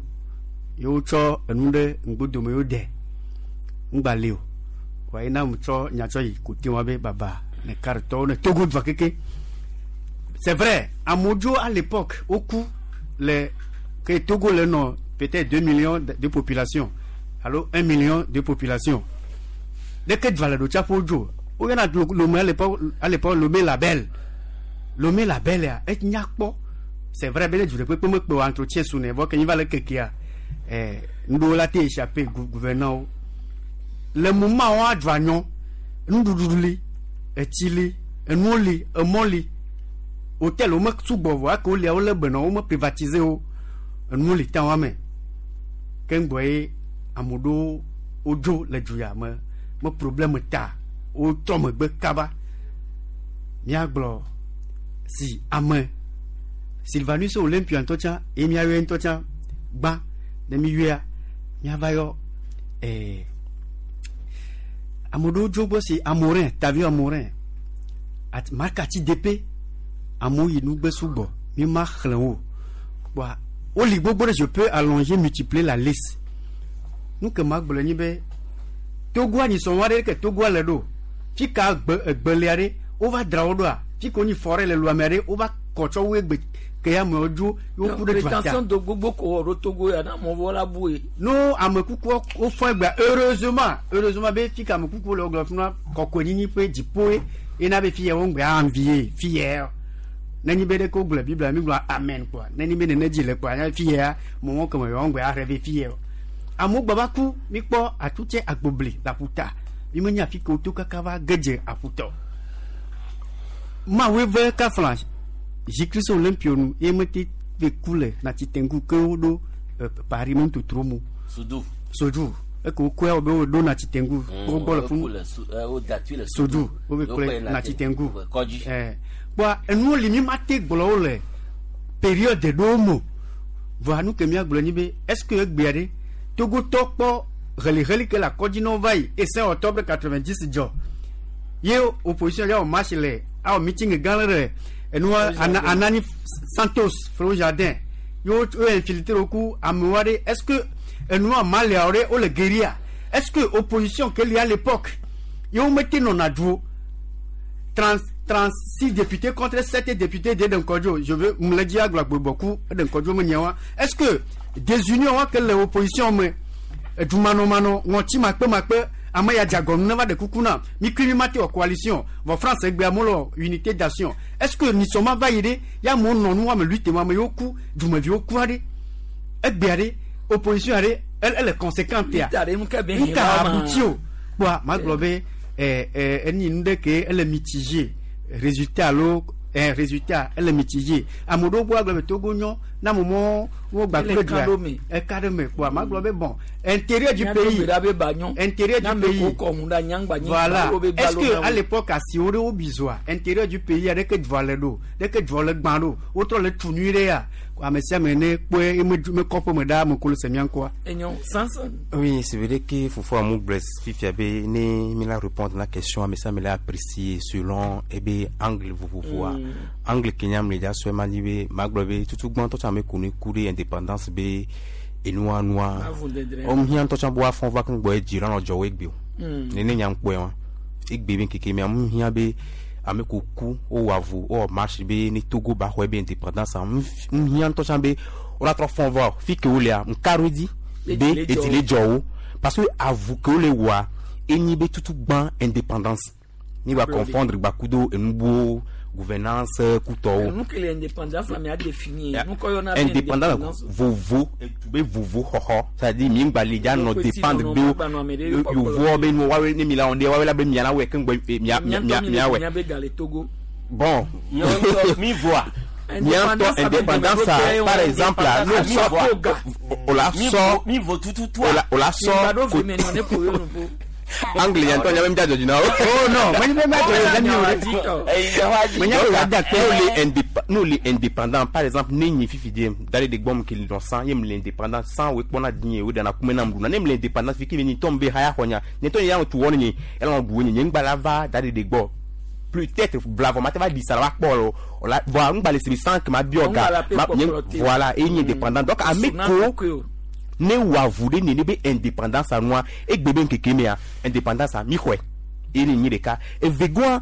ye wotsɔ enu ɖe ŋgbodome yewo de ŋgba li o wa ye na mu tsɔ nya tsɔ yi kote wa be baba ne karitɔwo ne Togo dua keke. C'est vrai, amewo dzo à l'époque woku le ke Togo le nɔ peut-être 2 millions de population alo 1 million de population. Leke dua le ɖo tsaƒe wodzo woyɔna Lomé à l'époque Lomé Label. Lomé Label ya enya kpɔ. C'est vrai be ne du ɖe kpekpe mekpe o entretien su ne vɔ ke nyi va le kekea nuɖewo la te échappé gouvernant wo. Le moment wo adzɔ anyɔ nuɖuɖu li etsi li enuwo li emɔ li hôtel wo me sugbɔ vɔ ake wolia wolé be nɔ wo me privatiser wo enuwo li ta wa me keŋgbɔ ye ame ɖewo wodzo le du ya me me problème ta wotrɔ megbe kaba míagblɔ si ame Sylvanus Olympio ŋutɔ tsã ye míayɔe ŋutɔ tsã gbã ne míyɔea míava yɔ ame ɖewo dzo gbɔ si Amorin Tavio Amorin at Markati DP amewo yi nugbe sugbɔ mi ma xlẽ wo kpoa woli gbogbo ɖe je peux allonger multiplier la liste nu ke ma gblɔ nyi be Togoa nyi sɔn wa ɖe ke Togoa le ɖo fi ka gbe egbelia ɖe wova dra wo ɖoa fi ke wonyi forêt le luamea ɖe wova kɔ tsɔ wo egbe ke ya amewo dzo ye woku ɖe dua ta. Rétention de gbogbo ko wɔ ɖo Togo ya na amewo vɔ la bu ye. No ame kukuwo wofɔ egbea heureusement heureusement be fi ka ame kukuwo le wogblɔ funa kɔkɔenyenye ƒe dziƒoe yena be fi ya wo ŋgbe envie fi ya nenyi be ɖeke wogblɔ Biblia mi gblɔ amen kpoa nenyi be nene dzi le kpoa nya fi ya mɔmɔ keme yewo ŋgbe aɖe fi ya amewo gba va ku mi kpɔ atutse agbobli le aƒuta mi menya afi ke woto kaka va gedze aƒutɔ mawoe ve kafla J. Christ Olympio nu ye mete ve ku le Natitengu ke woɖo Paris me ŋutotro mu Sudu. Soju eke wokɔe wo be woɖo Natitengu wo gbɔ le funu Soju wo be kplɔe Natitengu kɔdzi. Kpoa enuwo li mi ma te gblɔ wo le période ɖewo me vɔa nu ke míagblɔ nyi be est ce que egbea ɖe Togotɔ kpɔ heliheli ke le akɔdzi na wo va yi et 5 octobre 90 dzɔ ye opposition ya wɔ marche le awɔ meeting gã ɖe le enua Anani Santos Flo Jardin ye wo infiltré wo ku amewo aɖe. Est ce que enua Maliawo ɖe wole guérilla? Est ce que opposition ke li à l'époque ye wo mete nɔna du 36 députés contre 7 députés de Nkɔdzo je veux mlɛ agblɔ agbebɔku eɖe Nkɔdzo me nyawa? Est ce que désunion wa ke le opposition me edumanɔmanɔ ŋɔtsi makpemakpe ame ya dze agɔnu ne va ɖe kuku na mi kui mi ma te wɔ coalition vɔ France egbea mo le unité d'action? Est ce que nisɔma va yi ɖe ya amewo nɔ nu ame lutte ma ame yiwo ku dumeviwo ku aɖe egbea ɖe opposition aɖe ele conséquente ya Lutte aɖe, nu ke be nu ka hiã ma. Abuti o kpoa magblɔ be enyi nu ɖe ke ele mitigé résultat alo résultat ele mitigé ame ɖewo gbɔ agblɔ be Togo nyɔ na ame mɔ wo gba Ele kple ka dua ɖo me. eka ɖe me kpoa magblɔ be bon intérieur du Míaɖo pays gbe ɖa be ba nyɔ. Intérieur Na du ame pays ko kɔ ŋu ɖe anyigba nyi, voilà alo be est-ce gbalo que na wo. à l'époque asiwo ɖe wo bizoa intérieur du pays ɖeke dua le ɖo ɖeke dua le gbã ɖo wotrɔ le tu nyui ɖe ya ame sia ame ne kpɔe eme me kɔƒe me ɖaa me ko le se mía ŋkɔa. Enyo Sanson. Oui, c'est vrai que Fofo Amou blesse fifia be ne mi la répondre la question mais ça me l'a apprécié selon eh be angle vovovoa. Angle Kenya me dia so ma di be magblɔ be tutu gbɔn tɔ me kunu ku de indépendance be enua nua. Avu dedre. Om hian tɔ tsa bo afɔn va kan gbɔ e dzira nɔ dzɔwo egbe o. Nene nya ŋkpɔe wa. Egbe be keke me amu hian be ame ko ku wo wɔ avu wo wɔ marche be ne Togo ba xɔ be indépendance am hian tɔ tsa be wo la trɔ fɔn va fi ke wo lea nkaro di be Edzi le dzɔ edzi le dzɔ wo parce que avu ke wo le wɔa enyi be tutu gbã indépendance ni ba Aplaudir. Confondre gbakudo enubuwo gouvernance kutɔwo. Nu ke le indépendance la mea définir. Nu kɔ yɔna be Indépendance vovo be vovo xɔxɔ c'est-à-dire mi ŋgba le dza nɔ Ɖokui si dépendre nɔnɔ be magba nɔ ame ɖe ƒe yovoa be nu woawoe ne mi la wɔn ɖe woawoe la be mia la wɔe keŋgbɔ mia Mía mia ŋutɔ mi le mia wɔe mía be ga le Togo. Bon. Míawo mi voa. Miantɔ indépendance a, par exemple la n'o sɔ o la sɔ Mi vo tututu. o la sɔ Mi gba ɖo ve me nɔ ne ƒo yo nu ƒo. Angle nya ŋutɔ nya be mídza dzɔdzi na wo. Oh non, menye be míadzɔ dzi na mi o ɖe. Menye be wòada akpe. Nous les indép- nous les indépendants, par exemple, ne nyi fifi die, d'aller de gbɔm ke lɔ san, ye me le indépendant, san wo kpɔna die, wo dana kume na mɖuna. Ne me le indépendant, fi ke me nyi tɔm be haya xɔ nya, nye tɔ nye ya tu wɔ ne nye, elɔ ɖu nye, nye ŋgba la va d'aller de gbɔ. Peut-être blavɔ ma te va ɖi sa la va kpɔ o, o la, voa ŋgba le si be san ke ma biɔ ga, Ŋgba la pe ma, nye, kpɔkplɔ te. voilà, e nye indépendant. Donc ame Suna ko kɔkɔe o. ne wɔ avu ɖe nene be indépendance nua egbe be ŋkeke mea indépendance mi xɔe eye ne nyi ɖeka evegoa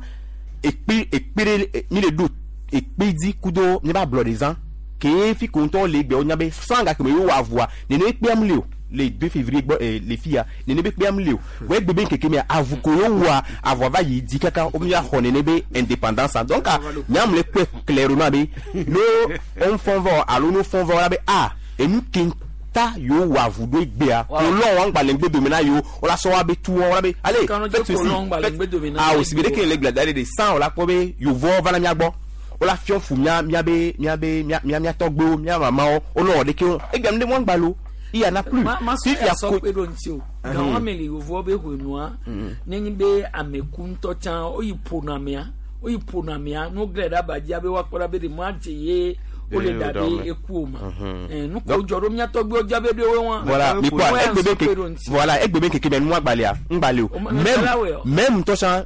ekpe ekpe ɖe e, mi le ɖo ekpe dzi kudo mi ba ablɔ ɖe zã ke fi ko ŋutɔ le egbe wonya be san gake me yewo wɔ avua nene ekpeam le o le 2 février gbɔ eh, le fia nene be kpeam le o vɔ egbe be ŋkeke mea avu ko yewo wɔa avua va yi dzi kaka wo mi axɔ nene be indépendance donc nyam le kpe clairement be no wo fɔn vɔ alo no fɔn vɔ la be a enu ke ta yewo wɔ avu ɖo egbea kolɔn wa ŋgba le ŋgbe dome na yewo wola sɔ wa be tu wɔn wola be ale Kanu faites tse ceci kolɔn ŋgba le faites ŋgbe dome na ah yewo. o si be ɖeke le gblẽ da ɖe de san wola kpɔ be yevowo va na mía gbɔ wola fiɔ fu mía míabe míabe mía mía mía tɔgbewo mía mamawo wonɔ wɔ ɖeke wo egbea nu ɖe mɔ ŋgba lo il y en a plus Ma ma sɔ fifia sɔ ko kpe ɖo ŋuti o. Gawo ame le yevowo be ʋenua, nenye be ame ku ŋutɔ tsã woyi ƒona amea, woyi ƒona amea, ne woglẽ ɖe abadzia be woakpɔ ɖa be ɖe mɔadze ye wole Ye da wo be ɖe ame. eku o ma. Eh, nu ko Donc- dzɔ ɖo mía tɔgbewo dza be ɖe wo wa. voilà mi kpɔa Wo ya egbe be sɔ kpe ke ɖo ŋuti. voilà egbe be keke mɛ nua gbalẽa ŋgbalẽ o O ma- même la wɛ o. même ŋutɔ tsã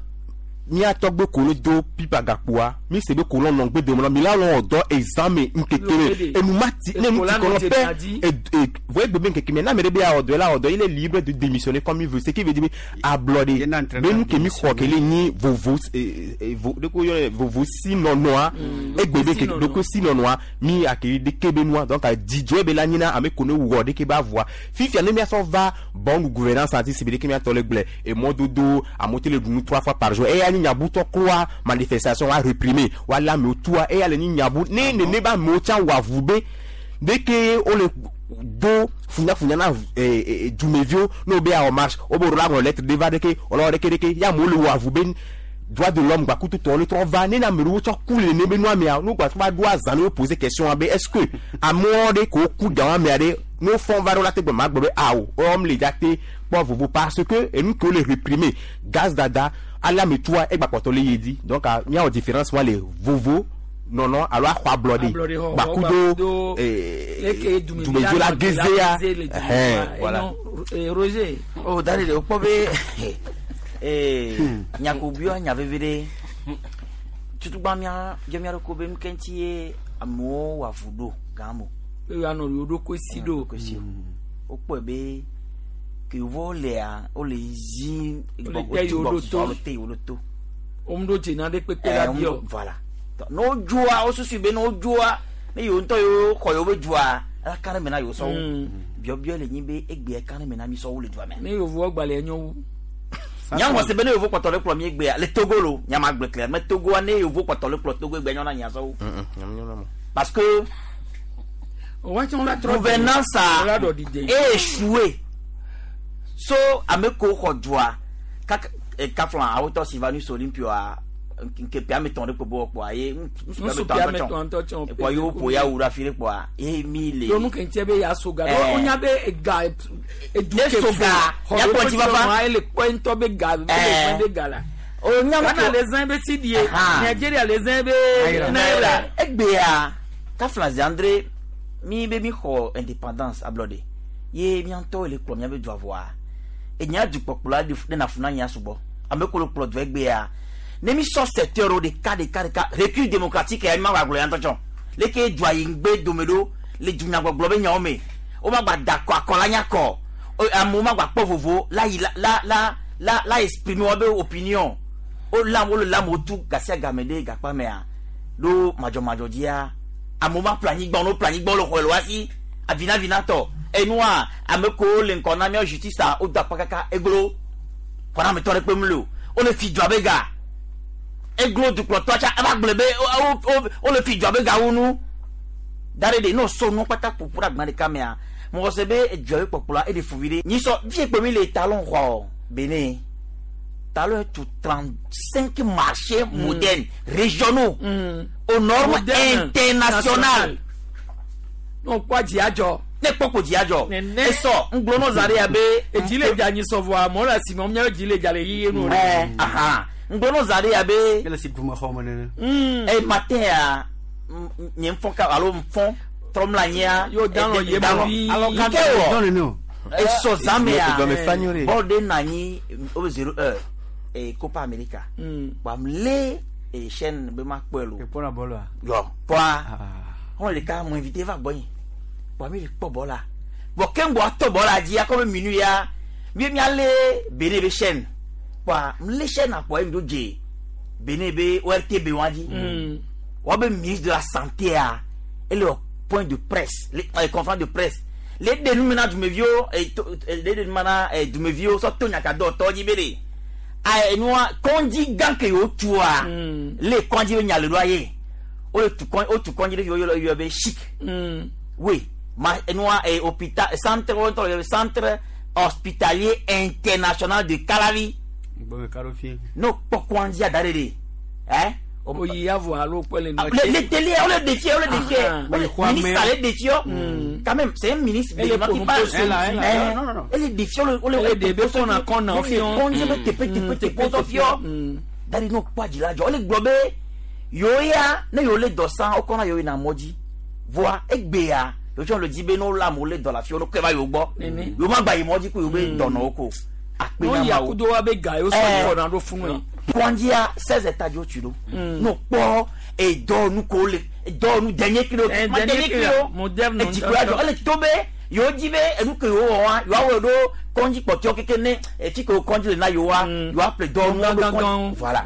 mía tɔgbe ko ne do pipa gakpoa mi se be kolɔn nɔ ŋgbe dome la mi la lɔn dɔ examen ŋkeke me Lɔ enu ma ti ne nu ti Ekola kɔnɔ nɔ dze pɛ na dzi. et et voyez bebe ŋkeke me na ame ɖe be awɔ dɔ la wɔ dɔ il est libre de démissionner comme il veut ce qui veut dire be ablɔɖe Yena entraîneur be nu ke mi xɔ ke le nyi vovo eh, eh, vo de ko yɔ vovo si nɔnɔa egbe be ke ɖoko si nɔnɔa mi akiri ɖeke be nua donc dzidzɔe be la nyina ame ko ne wɔ ɖeke be avua fifia ne miasɔ va bonne gouvernance ati si be ɖeke miatɔ le gblẽ emɔdodo amewo te le ɖu nu trois fois par jour eya nyi nyabutɔ kloa manifestation wa réprimer wa le amewo tua eya le nyi nyabu ne nene be amewo tsã wɔ avu be ɖeke wole do funyafunya na eh, eh, dumeviwo ne wo be awɔ marche wo be woɖo la ŋlɔ lettre ɖe va ɖeke wòle wɔ ɖeke ɖeke ya amewo le wɔ avu be droit de l'homme gbakutu tɔwo ne trɔ va ne na ame ɖewo tsɔ ku le nene be nua mea ne wo va ɖo azã ne wo poser question wa be est ce que amewo ɖe ko ku gan amea ɖe ne wo fɔn va ɖo la te gbe ma gblɔ be awo wɔm le dza te kpɔ vovo parce que enu ke wo le réprimer gaz dada ale ame tua egba kpɔtɔ le ye dzi donc ah, míawɔ différence wa le vovo nɔnɔ alo axɔ ablɔɖe Ablɔɖe xɔxɔ, gbakudo gbakudo, eh, Eke dumevi dumeviwo la la nɔ dze la gezea geze le dume ɛhɛn, wa. voilà. Enɔ, eh, Roger. o da de o kpɔ be ee nyakobiwa nya vevi ɖe tutugba mía dze mía ɖoko be nuke ŋuti ye amewo wɔ avu ɖo gã mo. Be woanɔ yewo ɖokui si ɖo. Ɖokui wokpɔe be ke yevowo lea wole zi Wole te yewo ɖo to. wole te yewo ɖo to. Womeɖo dze na ɖe kpekpe Eh, la bi o. womeɖo- voilà ne wodzoa wosusui be ne wodzoa ne yewo ŋutɔ yewo xɔ yewo be dzoa ela ka ɖe me na yewo sɔwo biɔbiɔ le nyi be egbea ka ɖe me na mi sɔwo le dua me. Ne yevowo gbalẽ nyo wu. Nyamɔ se be ne yevo kpɔtɔ le kplɔ mi egbea le Togo lo nyama gblẽ kle me Togoa ne yevo kpɔtɔ le kplɔ Togo egbea nyɔna nya sɔwo. Parce que gouvernance a échoué so ame ko xɔ dua kaka kaflan awotɔ Sylvanus Olympio nke ame tɔn ɖe kpo bɔ kpɔa ye Nusu ame tɔn ŋutɔ tsã. kpɔ ye woƒo ya wu ɖe afi ɖe kpɔa ye mi le. Yonu kɛntɛ be ya so ga. Eh. Wonya be ega edu Ne ke so ga, fo. ya kpɔ ŋuti fafa. Ele kpɔ ŋutɔ be ga be Eh. le zã be ga la. O nya Ghana le zã be cedi ye. Aha. Nigeria le zã be naira. Egbea kaflan Zandre mi be mi xɔ indépendance ablɔɖe ye mía ŋutɔ le kplɔ mía be dua vɔa enya dukpɔkplɔla ɖe ɖe na fu na nya sugbɔ ame ko le kplɔ dua egbea ne mi sɔ secteur wo ɖeka ɖeka ɖeka recul démocratique ya mi ma gba gblɔ ya ŋutɔ tsɔ leke dua yi ŋgbe dome ɖo le dunyagbɔgblɔ be nyawo me wo ma gba da akɔ akɔ la nya kɔ O- amewo ma gba kpɔ vovo la yi la la la la la exprimer wo be opinion wo lam wo le lam wo tu gasia game ɖe gakpa mea ɖo madzɔmadzɔ dzia amewo ma ƒle anyigba wo ne woƒle anyigba wo le xɔ le wa si avinavinatɔ enua ame kowo le ŋkɔ na míawo justice a wodo akpa kaka eglo xɔna ametɔ ɖe kpem le o wole fi dua be ga eglo dukplɔtɔ tsa eva gblɔ be wo- wo- wole fi dua be ga wu nu da ɖe ɖe ne wosɔ nu kpata ƒoƒu ɖe agba ɖeka mea mɔgɔ se be edua be kpɔkplɔa eɖe fu vi ɖe nyisɔ vie kpe mi le talon xɔ Benin talon tu 35 marchés modernes régionaux aux normes Moderne. internationales. Ne wokpɔ dzi adzɔ. Ne kpɔ ko dzia dzɔ. Esɔ ŋgblɔ nɔ zã ɖe ya be. Edzi le dza nyi sɔ vɔa amewo le asime wɔm míaƒe dzi le dza le yeye nu. Ɛ aha ŋgblɔ nɔ zã ɖe ya be. Ele si dume xɔ me nene. Ɛ matin ya nye ŋfɔ ka alo ŋfɔ trɔ mla anyia. Yo dan lɔ ye ma vi. Alɔ kan tɛ wɔ. Esɔ zã me ya. Dɔme fa nyo ɖe. Bɔl ɖe nɔ anyi wo be 0 heure e Copa America. Kpam lé e chaîne be ma kpɔe lo. Ekpɔna bɔlua. Yɔ kpɔa. Xɔn ɖeka mo invité va gbɔnye. Kpɔa mi le kpɔ bɔla. Bɔn keŋgbɔ atɔ bɔla dzi akɔ be minu ya. Mi mialé Benin be chaîne. Kpɔa mlé chaîne akpɔ ye mi do dze Benin be ORTB wa dzi. Wa be ministre de la santé a ele wɔ point de presse, le conférence de presse. Le ɖe nu me na dumeviwo, le ɖe nu me na dumeviwo sɔ to nyakadɔtɔ dzi be ɖe. A enua kɔndzi gã ke yewo tua le kɔndzi be nya le ɖoa ye. Wole tu kɔn wotu kɔndzi ɖe fi woyɔ yɔ be chic. Oui, ma enua hôpital centre wo ŋutɔ le yɔ be centre hospitalier international de Calavi. Gbɔme ka ɖo fi. Ne wokpɔ kɔndzia da ɖe ɖe, ɛ. Oyi ya vɔ alo kpɔ le nɔ. Le télé, on le défie, on le défie. Le ministre le défie. Quand même, c'est un ministre béninois qui parle. Elle le défie, on le défie. On a qu'on a fait. On dit tepe tepe tepe on fi. Dari no kpɔ dzi la dzɔ. Ele gblɔ be yewo ya ne yewo le dɔ san wokɔ na yewo yina mɔ dzi. Voa egbea yewo tsɔ le dzi be ne wo le amewo le dɔ le afi wo ne kɔe va yewo gbɔ. Yewo ma gba yi mɔ dzi ko yewo be dɔnɔwo ko. Akpe na No Mawu. yakudo wa be ga yewo sɔ kɔ na ɖo funu ye. Kɔndzia 16 étages wo tu ɖo. No kpɔ edɔnu ko le edɔnu dernier cri o. Ma dernier cri o. Moderne. Edziklo adzɔ ele to be yewo dzi be enu ke yewo wɔ wa yewoawɔe ɖo kɔndzi kpɔtɔewo keke ne efi ke wo kɔndzi le na yewoa yewoaƒle dɔnu ɖo kɔndzi voilà.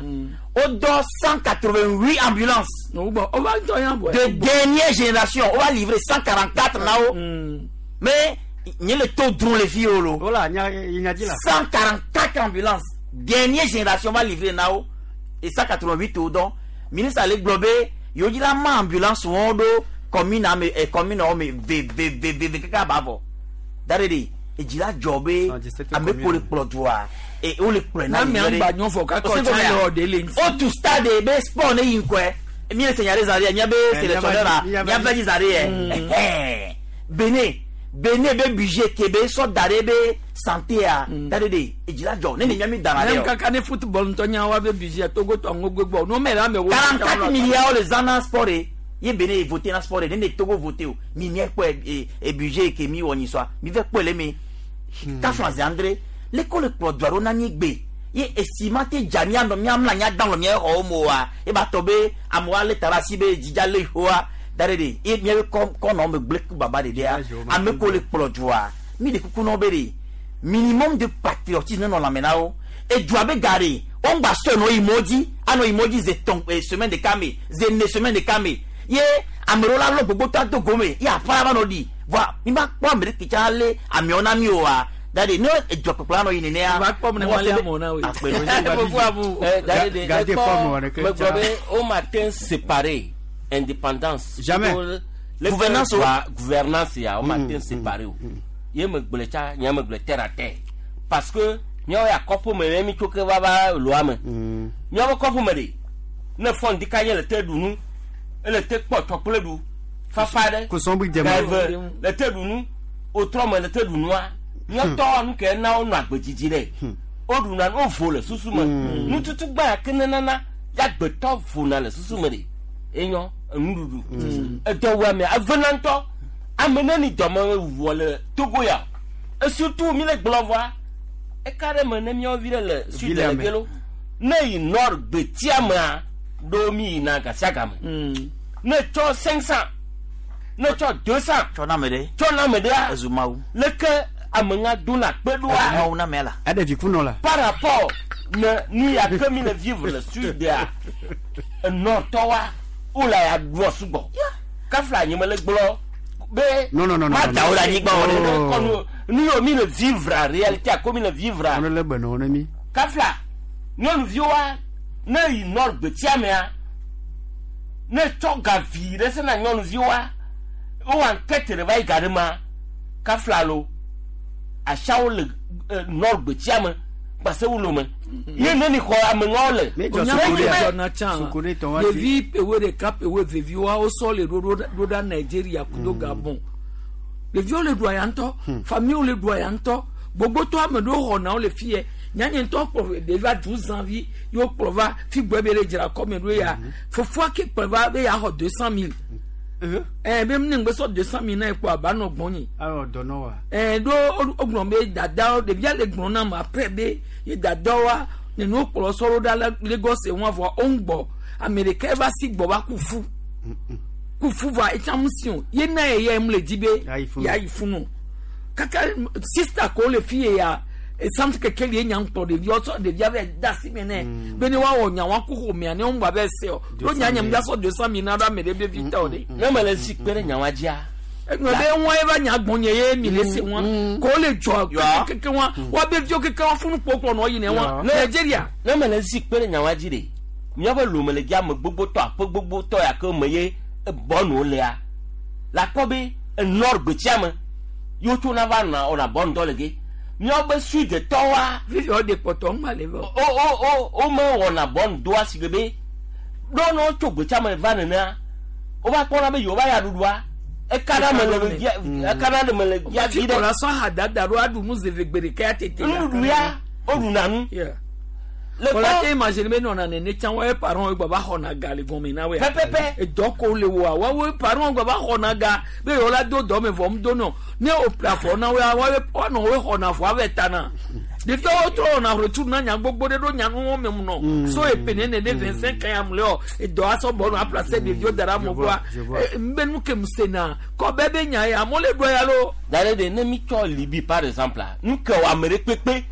Wodɔ 188 ambulances. De dernière génération on va livrer 144 na wo. Mais nye le to dron le fi yewo lo. Voilà, nya nya dzi la. 144 ambulances dernière génération va livrer na wo et 188 wo dɔn ministre ale gblɔ be yewo dzi la ma ambulance wɔn ɖo commune ame commune wɔn me ve ve ve ve ve kaka ba vɔ da ɖe de edzi la dzɔ be ame ko le kplɔ dua e wo le kplɔe na Na mi yi agba nyɔ fɔ kakɔ tsa yɔ de le ŋuti. O tu stade be sport ne yi ŋkɔe mi le senya ɖe zã ɖe mía be sélectionneur la mía be dzi zã ɖe yɛ Benin Benin be budget ke be sɔ da ɖe be santé a da ɖe de edzi la dzɔ ne ne mía mi da na Ne ɖe o. kaka ne football ŋutɔ nya wa be budget Togo tɔ ŋgo gbɔ no mɛ la mɛ wo. 44 milliards le zã na sport ye ye Benin voté na sport ye ne ne Togo voté o mi mía kpɔe e budget ke mi wɔ nyi sɔa mi fɛ kpɔe le mi kafla zi andre leko le kplɔ dua ɖo na mi gbe ye esi ma te dza mía nɔ mía mla mía dan lɔ mía xɔwo mo wa ye ba tɔ be amewo ale ta ɖe asi be dzidza le hoa da ɖe de ye mía be kɔ kɔnɔ me gble ku baba ɖe ɖea ame ko le kplɔ dua mi le kuku nɔ be de minimum de patriotisme ne nɔ lãme na wo edua be ga ɖe wo ŋgba sɔe nɔ yi mɔ dzi anɔ yi mɔ dzi ze tɔn semaine ɖeka me ze ne semaine ɖeka me ye ame ɖewo la lɔ gbogbo tɔ ado gome ye aƒa va nɔ ɖi voa mi ma kpɔ ame ɖe ke tsa lé amewo na mi oa da de ne edua kpɔkplɔ anɔ yi nenea Va kpɔ ne ma lé amewo na woe. Akpe. Fofo abu. Gardez forme wɔ ɖeke megblɔ tsa. be wo ma te séparer indépendance. Jamais. Le Gouvernance o. gouvernance ya wo ma te séparer o. Ye megblɔ tsa nye megblɔ terre à terre parce que míawo ya kɔƒe me ne mi tso ke va va loa me. Míawo kɔƒe me ɖe ne fɔ ŋdi nye le te ɖu nu ele te kpɔ tsɔkple ɖu fafa ɖe. Kosɔnbui dɛmɛ. Gave le te ɖu nu wotrɔ me le te ɖu nua míatɔ nu ke na wonɔ agbedzidzi ɖe woɖuna nu wovo le susu me nututu gbã ke ne nana ya gbetɔ vona le susu me ɖe enyɔ enuɖuɖu edɔwɔame evena ŋutɔ ame neni dɔme wɔ le Togo ya et surtout mi le gblɔ vɔa eka ɖe me ne míawo vi ɖe le sud Ville le me. gelo ne yi nord gbetia mea ɖo mi yina gasiagame ne tsɔ 500 ne tsɔ 200 tsɔ na ame ɖe tsɔ na ame ɖea ezu mawu leke ame ŋa dona kpe ezu ɖoa mawu na amea la Eɖe vi kunɔ la. par rapport ne nu ya ke mi le vivre le sud ya nord tɔwa wo la ya ɖua sugbɔ kafla nye me le gblɔ be Non, non, non, non, ma non, da wo ɖe anyigba o ɖe. Oh. kɔnu nu yiwo mi le vivre réalité ko mi le vivre Ame le gbe nɔ ne mi. kafla nyɔnuviwoa ne yi nord gbetia mea ne tsɔ ga vi ɖe sena nyɔnuviwoa wowɔ ankete ɖe va yi ga ɖe ma kafla lo asiawo le nord gbetia me gbase wo lome ye ne ni xɔ ameŋawo le Mi dzɔ Onya sukuri ko ya. dzɔ na tsã. Sukuri tɔ wa ti. Ɖevi pewe ɖeka pewe vevi wa wosɔ le ɖo ɖo ɖa Nigeria kudo Gabon. Ɖeviwo le ɖua ya ŋutɔ, famiwo le ɖua ya ŋutɔ. Gbogbotɔ ame ɖewo xɔna wo le fi yɛ. Nyanye ŋutɔ kplɔ ɖevia du zãvi ye wokplɔ va fi gbɔ be le dzra kɔme ɖo ya. Fofoa ke kplɔ va be yaxɔ 200 000. Ɛɛ be ne ŋgbe sɔ 200 000 na ye kpɔ aba nɔ gbɔnye. Alɔ dɔnɔ wa. Ɛɛ ɖo wogblɔ be dadawo ɖevia le gblɔ na ma après be ye dadawoa nene wokplɔ sɔ ɖo ɖa le Lagos ŋua vɔa wo ŋgbɔ ame ɖeka va si gbɔ va ku fu. Ku fu vɔa etsa ŋu si o ye na ye ya mu le dzi be yayi funu. Kaka sista ko le fi ye ya esanti keke li enya ŋkpɔ ɖeviwo sɔ ɖevia vɛ da asi me nɛ be ne woawɔ nya wa ku xɔmea ne wo ŋgba vɛ se o ɖo nya nye ŋgba sɔ 200 000 na ɖo ame ɖe be vi tɔ ɖe. Ne me le si kpe ɖe nyawa dzia. Egblɔ be ŋua ye va nya gbɔnye ye mi le se ŋua ko le dzɔ keke ŋua wa be viwo keke wa funu kpɔkplɔ nɔ yi ne ŋua Nigeria. Ne me le si kpe ɖe nyawa dzi ɖe míaƒe lome le dzi ame gbogbotɔ aƒe gbogbotɔ ya ke me ye bɔnu lea la kpɔ be enɔ gbetsia me yewo tso na va nɔ wɔna bɔnu dɔ le ge míaƒe sudetɔwoa. Fifi wo de kpɔtɔ ŋgba le vɔ. O o o wo me wɔna bɔnu doa si be ɖo ne wotso gbetsia me va nenea wova kpɔna be yewo va ya ɖuɖua ekana me le via ekana me le via vi ɖe. Fi kɔla sɔ ha dada ɖo aɖu nu zeve gbe ɖeka ya tete. Nuɖuɖu ya woɖuna nu. Le kɔla te imagine be nɔna nene tsã woaƒe parents gbɔ va xɔna ga le gɔme na woa. Pɛpɛpɛ. Edɔ ko le woa woawoe parents gbɔ va xɔna ga be yewo la do dɔ me vɔ ŋdo nɔ ne wo ƒle afɔ na woa woawoe woanɔ woe xɔna afɔ ave ta na. Ɖeviawo trɔ wɔna ʋletsu na nya gbogbo ɖe ɖo nya nuwo me mu nɔ. So epe nene ne 25 ans ya mu le wɔ edɔ asɔ bɔ nɔ aplase ɖeviwo da ɖe amewo gbɔa. Nbe nu ke mu se na kɔ bɛ be nya ya amewo le ɖɔ ya lo. Da ɖe ɖe ne mi tsɔ Libi par exemple la nu ke wɔ ame ɖe kpekpe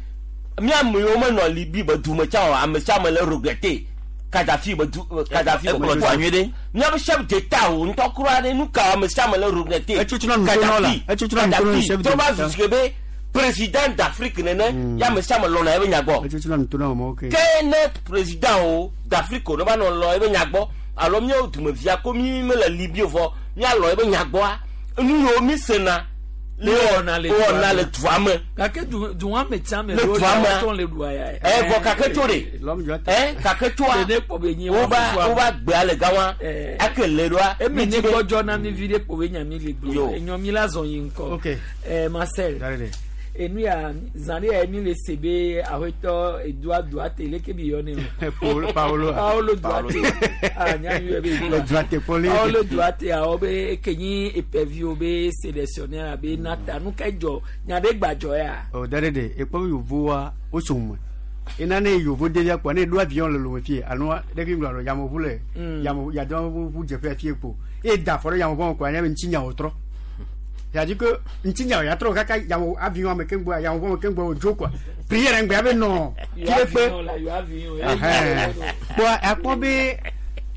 mi ame yiwo menɔ Libi be dume tsã o ame sia ame le regretter Kadhafi be du Kadhafi be Ekplɔ dua nyuie ɖe. Míaƒe chef d'État wo ŋutɔ kura ɖe nu ka ame sia ame le regretter Etsutsuna nu to nɔ la. Etsutsuna nu to nɔ chef Kadhafi trɔ va d'État. zu si ke be président d'Afrique nene ya ame sia ame lɔna eƒe nya gbɔ. Etsutsuna nu to nɔ mɔ ke. Ke ne président wo d'Afrique wo ne va nɔ lɔ eƒe nya gbɔ alo míawo dumevia ko mi mele Libi o vɔ míalɔ eƒe nya gbɔa nu yiwo mi sena Le wɔna le wɔna le dua me. Gake du dua me tsã me Le ɖewo dua me. tɔ le ɖua ya. Ɛ vɔ kake tso ɖe. Ɛ kake tsoa. Ɖe kpɔ be nyi Woba woba gbea le gama. Ake le ɖoa. Eme ne gbɔdzɔ na mi vi ɖe kpɔ be nya mi le gblɔ. Enyɔ mi la zɔn yi ŋkɔ. Ok. Ɛ Marcel. Enu ya zã ɖe ya mi le se be aƒetɔ Edouard Duarte leke bi yɔ ne o. Paolo. Paolo Duarte. Ah nya mi yɔ be Edouard. Duarte Poli. Paolo Duarte awɔ be eke nyi epeviwo be sélectionnaire abe nata nu ka dzɔ nya ɖe gbadzɔ ya. O da ɖe ɖe ekpɔ be yovoa wotso me. Ena ne yovo ɖevia kpɔ ne eɖo avion le lome fie alo ɖevi ŋlɔ alo yameʋu le yameʋu yadeʋu dzeƒe fie kpo eye da afɔ ɖe yameʋua me kpo anya be ŋutinyawo trɔ. C'est-à-dire que ŋutinyawo ya trɔ kaka yameʋu avion me keŋ gbɔ yameʋua me keŋ gbɔ wòdzo quoi. Prière ŋgbɛ abe nɔ Yɔ fi ɖe kpe. avion la yɔ avion. Kpɔ akpɔ be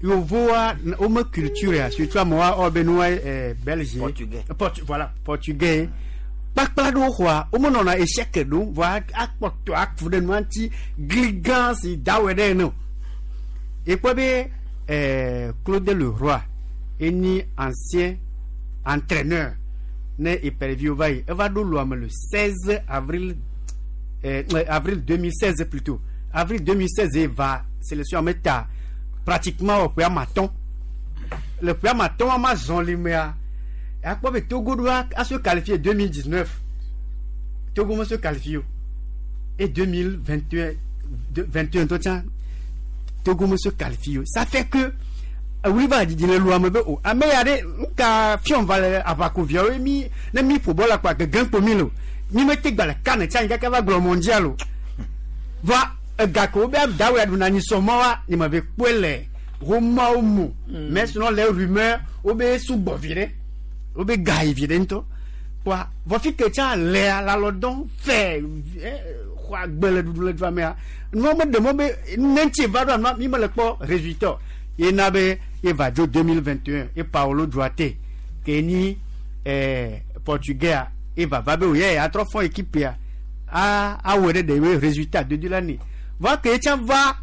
yovoa wome culture ya surtout amewoa wɔ be nua belge. Portugais. Portu voilà portugais. Kpakpla ɖewo xɔa womenɔna échec ɖom vɔa akpɔtɔ aku ɖe nua ŋuti gligã si dawɔe ɖe ene o. Ekpɔ be Claude Leroy enyi ancien entraîneur ne Epervier va yi eva ɖo loa me le 16 avril avril 2016 plutôt avril 2016 ye va sélection ame ta pratiquement wɔ ƒe ame atɔ̃ le ƒe ame atɔ̃ wa ma zɔn li mea akpɔ be Togo ɖo a se qualifier 2019 Togo me se qualifier o et 2021 21 tɔ tsã Togo me se qualifier o ça fait que wuli va didi le lua me be o ame ya ɖe nuka fiɔm va le aʋakoviawo mi ne mi ƒo bɔl akpa gege kpo mi le o mi me te gba le kan tsa anyi kaka va gblɔ mondial o va ega ke wo be dawo ya ɖuna anyi sɔmɔ wa nye me ve kpɔe le romawo mu mais sinon les rumeurs wo be sugbɔ vi ɖe wo be ga yi vi ɖe ŋutɔ kpoa vɔ fi ke tsa lea le alɔ dɔn fɛ xɔ agbe le ɖuɖu le dua mea nua me ɖe mɔ be ne ŋuti va ɖoa nua mi me le kpɔ résultat ye na be ye va dzo 2021 ye Paolo Duarte ke nyi portugais a ye va va be o ye atrɔ fɔ équipe ya a awɔe ɖe ɖe ye résultat dodo la nɛ va ke tsã va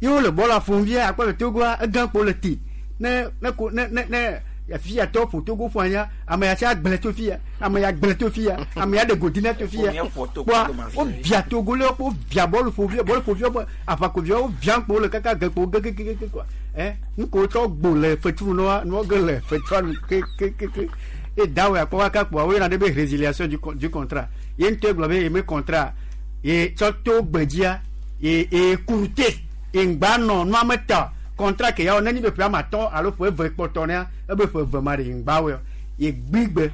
ye wole bɔl ƒom via akpɔ le Togoa egã kpo le te ne ne ko ne ne ne fia tɔ ƒo Togo ƒo anya ame ya tsa gblẽ to fia ame ya gblẽ to fia ame ya ɖe godi na to fia kpoa wo via Togo le wo via bɔl ƒo via bɔl ƒo via aʋakovia wo via kpo le kaka ge kpo gegegege quoi nu ko tsɔ gbo le fetru nua nua ge le fetrua nu ke ke ke ke E dawe akpɔ kaka kpoa woyɔna ɖe be résiliation du contrat. Ye ŋutɔ gblɔ be ye me contrat ye tsɔ to gbedzia ye ye kurute ye ŋgba nɔ nua me ta contrat ke ya wɔ nenyi be ƒe ame atɔ̃ alo ƒe eve kpɔtɔ nea ebe ƒe eve ma ɖe ye ŋgba wɔe ye gbigbe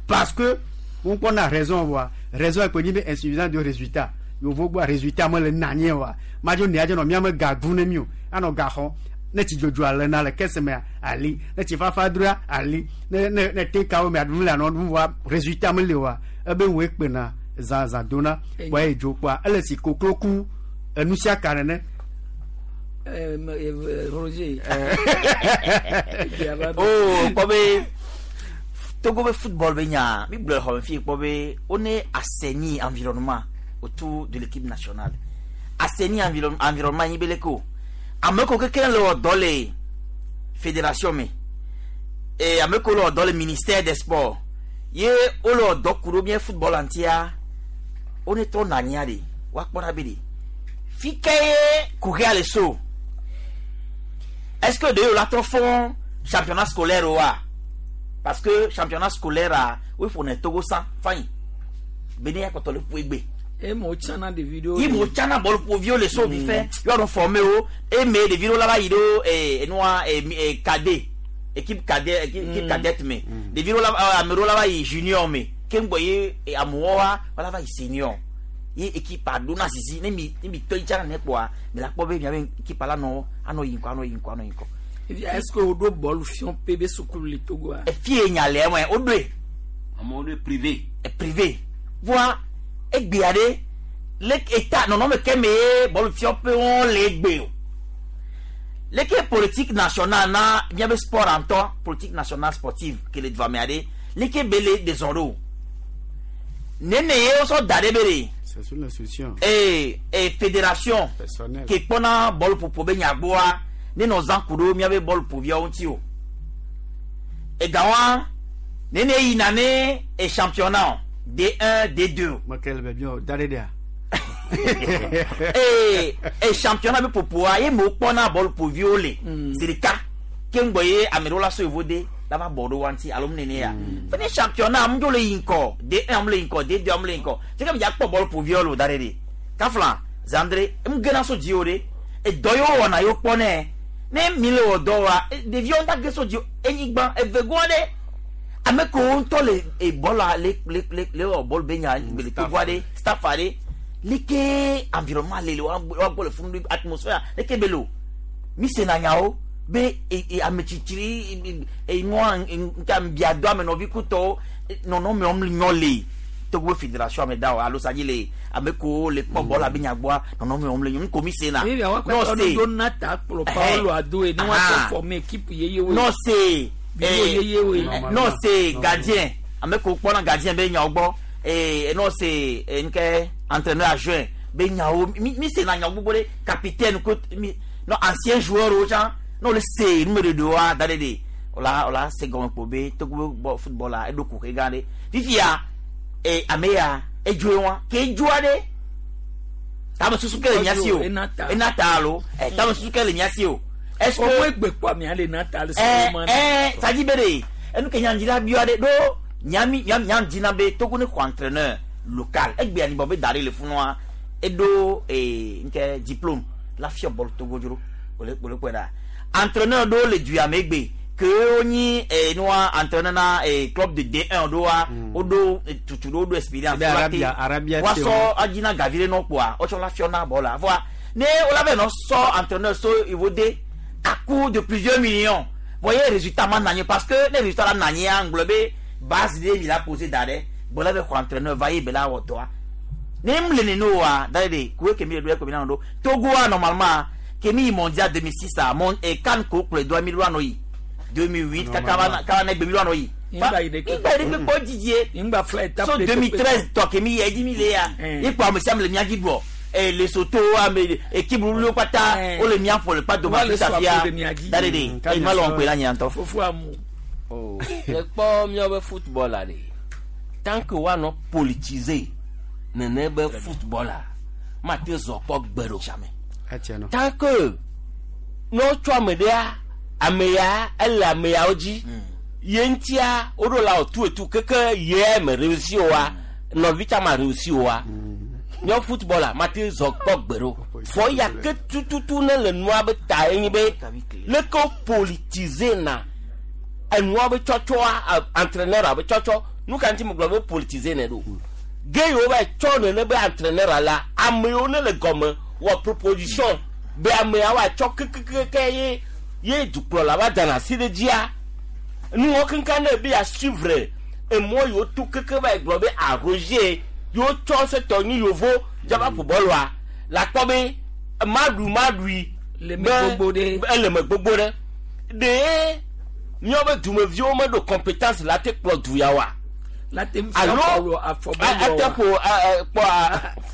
parce que wokpɔna raison wa raison ekpe nyi be insuffisance de résultat yovo gbɔ résultat mele nanye wa madzo nea dze nɔ miame ga gu ne mi o anɔ ga xɔ ne tsi dzodzo ale na le kese mea ali ne tsi fafa droa ali ne ne ne te kawo mea ɖum le anɔ ɖum wa résultat mele wa ebe ŋue kpena zã zã dona kpɔa ye dzo kpɔa ele si koklo ku enu sia ka nene. Roger. Oh, kpɔ be Togo be football be nya mi gblɔ le xɔme fi kpɔ be wone assainir environnement autour de l'équipe nationale. Assainir environnement nyi be leke o. Ame ko keke le wɔ dɔ le fédération me. E ame ko le wɔ dɔ le ministère des sports. Ye wole wɔ dɔ ku ɖo mía football ŋutia wone trɔ nɔ anyia ɖe woakpɔ ɖa be ɖe fi ke ye kuxia le so. Est-ce que de la trɔ fɔ championnat scolaire wa? Parce que championnat scolaire a wo ƒo Togo san fain. Bene ya kɔtɔ le ƒo egbe. E mo tsana ɖevi ɖewo. Yi mo tsana bɔlu ƒoviwo le so vi fɛ yɔrɔ formé wo eme ɖevi ɖewo la va yi ɖo enua cadet équipe cadet équipe cadette me ɖevi ɖewo la ame ɖewo la va yi junior me keŋgbɔ ye amewo wa wala va yi senior ye équipe a ɖona zizi ne mi ne mi tɔ yi tsana ne kpɔa mi la kpɔ be miabe équipe la nɔ anɔ yi ŋkɔ anɔ yi ŋkɔ anɔ yi ŋkɔ. Est-ce que woɖo bɔlu fiɔn pe be sukulu le Togo a? Efie nya le eme woɖoe. Amewo ɖoe privé. Privé voa egbea ɖe le eta nɔnɔme ke me ye bɔlu fiɔn pe wɔn le egbe o. Leke politique nationale na miabe sport ŋutɔ politique nationale sportive ke le dua mea ɖe leke be le dezɔn ɖo nene ye wosɔ da ɖe be ɖe. C'est sur l'instruction. Ee fédération Personnel. ke kpɔna bɔlu ƒoƒo be nyagboa ne nɔ zã ku ɖo miabe bɔlu ƒoviawo ŋuti o. Egawa nene yina ne e championnat D1 D2. Michael Bebio da ɖe ɖea. Ee championnat be ƒoƒoa ye me wokpɔna bɔlu ƒoviwo le zi ɖeka ke ŋgbɔ ye ame ɖewo la so yevo de la va bɔ ɖo wa ŋuti alo nene ya. Fene championnat amewo dzo le yi ŋkɔ D1 amewo le yi ŋkɔ D2 amewo le yi ŋkɔ seke mi dza kpɔ bɔlu ƒoviwo le o da ɖe ɖe kafla Zandre emu gena so dzi o ɖe edɔ yiwo wɔna yiwo kpɔ nɛ ne mi le wɔ dɔ wa ɖeviwo ŋutɔ ge so dzi enyigba evegoa ɖe ame kewo ŋutɔ le ebɔla le le le le wɔ bɔlu be nya le togoa ɖe staff ɖe leke environnement le le wa gbɔ le funu atmosphère leke be le o mi sena nyawo be ame tsitsi enua nka biadɔ ame nɔvi kutɔwo nɔnɔme wɔm nyɔ le Togo fédération ame da o alo sadzi le ame kewo le kpɔ bɔl abe nyagbɔa nɔnɔme wɔm le nyɔ nuko mi sena. Ebi awa kpɛtɔ do na ta kplɔ Paolo Adoe ne wa tɔ former équipe yeyewoe. Non c'est yeyewoe. Non c'est gardien ame kewo kpɔna gardien be nyawo gbɔ non c'est nke entraîneur adjoint be nyawo mi sena nyawo gbogbo ɖe capitaine ko mi non ancien joueur wo tsã ne wole se numeɖeɖewoa da ɖe ɖe wòla se gɔme kpo be Togo be football la eɖo kuxe gã ɖe fifia ame ya edzoe wa ke edzoa ɖe tame susu ke le mía si o ena ta alo tame susu ke le mía si o. Est-ce que o egbe kpɔ amea le na ta le sɔrɔ sadi be ɖe enu ke nyandzina biɔ ɖe ɖo nyami nyandzina be Togo ne xɔ entraîneur local egbe anibɔ be da ɖe le funua eɖo nke diplôme la fiɔ bɔlu Togo dzro wòle kpɔe ɖa entraîneur ɖewo le du ame gbe ke wonyi nua entraîneur na club de D1 ɖoa woɖo tutu ɖo woɖo expérience woasɔ adzina gavi ɖe nɔ kpoa wotsɔ la fiɔ na bɔl la voa ne wola vɛ nɔ sɔ entraîneur so ivo de à coût de plusieurs millions voyez résultat ma nanye parce que ne résultat la nanye ŋgblɔ be base de mi la posé da ɖe gbɔlɔ bɛ xɔ entraîneur va ye be la wɔ dɔa ne mu le nene oa da ɖe kuwe kemi le ɖo ekpe mi na ɖo Togoa normalement kemi yi mondial 2006 a mon CAN ko kplɔe doa mi ɖo anɔ yi 2008 kaka ne gbe mi ɖo anɔ yi Ingba yi ɖe kpɔ didier so 2013 tɔ kemi yi edzi mi le ya ye kpɔ ame sia ame le mia dzi bɔ Lesotho ame équipe wluwlu kpata wole mia ƒo le kpa dome Afrika fia da ɖe ɖe eyi ma le wɔm kpe la nye ŋutɔ. Fofo amu. Le kpɔ míaƒe football la ɖe tant que woanɔ politiser nene be football la mate zɔ kpɔ gbe ɖo. Tant que ne wotsɔ ame ɖea ame ya ele ame yawo dzi. Ye ŋutia woɖo la wò tu etu keke ye me réussi oa nɔvi tsa ma réussi oa míawo footballer mate zɔ kpɔ gbe ɖo fɔ ya ke tututu ne le nua be ta ye nyi be leke wo politiser na enua be tsɔtsɔa entraîneur be tsɔtsɔ nu ka ŋuti me gblɔ be politiser ne ɖo ge yiwo va tsɔ nene be entraîneur la ame yiwo ne le gɔme wɔ proposition be ameawo atsɔ kekekeke ye ye dukplɔla va dana asi ɖe dzia nuwɔ keŋkeŋ ne be ya suivre emɔ yiwo to keke va yi gblɔ be arroger yiwo tsɔ setɔ nyi yovo dzaba ƒo bɔlua la kpɔ be maɖu maɖui Le me gbogbo ɖe. ele me gbogbo ɖe ɖe míawo be dumeviwo meɖo compétence la te kplɔ du ya wa la te ŋu fia alo bɔlu afɔbɔlu ate wa. ƒo kpɔ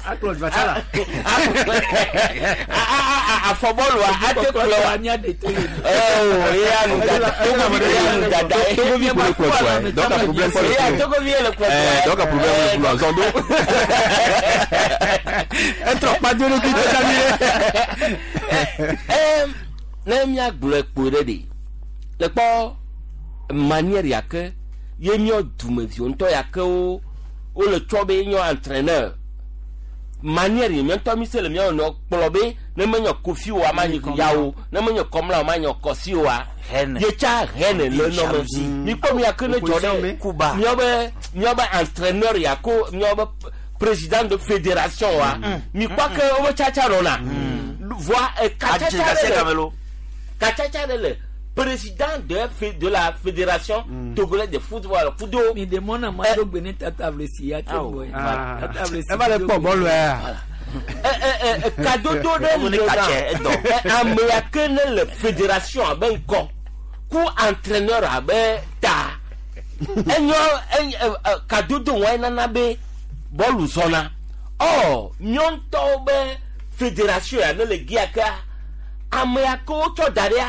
akplɔ dvatsa la afɔbɔlua ate kplɔ wa mía de to le Oh, eya nu dada togovi eya nu dada Togovi kpo le kplɔ dua donc a problème kpɔ le eya togovi ye le kplɔ dua Eh, donc a problème le kplɔ zɔn do. etrɔ kpado ɖokui tsa mi Ɛm, ne míagblɔe kpoe ɖe ɖe le kpɔ manière ya ke ye míɔ dumeviwo ŋutɔ ya ke wo wole tsɔ be nyɔ entraîneur manière yi míɔ ŋutɔ mi se le míɔ nɔ kplɔ be ne menyɔ kofi oa ma nyi yawo ne menyɔ kɔmla o ma nyɔ kɔsi oa Haine. ye tsa haine le nɔ me Jalousie. mi kpɔ mi ya ke ne dzɔ ɖe Kuba. míɔ be míɔ be entraîneur ya ko míɔ be président de fédération wa mi kpɔ ke wo be tsatsa nɔna voa katsatsa Adze ɖe le gamelo. katsatsa ɖe le président de la fédération togolaise de football kudo mi de mɔna ma do gbe ne tata vlesi ya te bɔ ye tata vlesi eva le kpɔ bɔlu ya kadodo ɖe Wo ne le katsɛ, edɔ. na ame ya ke ne le fédération abe ŋkɔ ku entraîneur abe ta enyɔ kadodo wɔe nana be bɔlu zɔna ɔ míɔ ŋutɔwo be fédération ya ne le gia kea ame ya ke wotsɔ da ɖia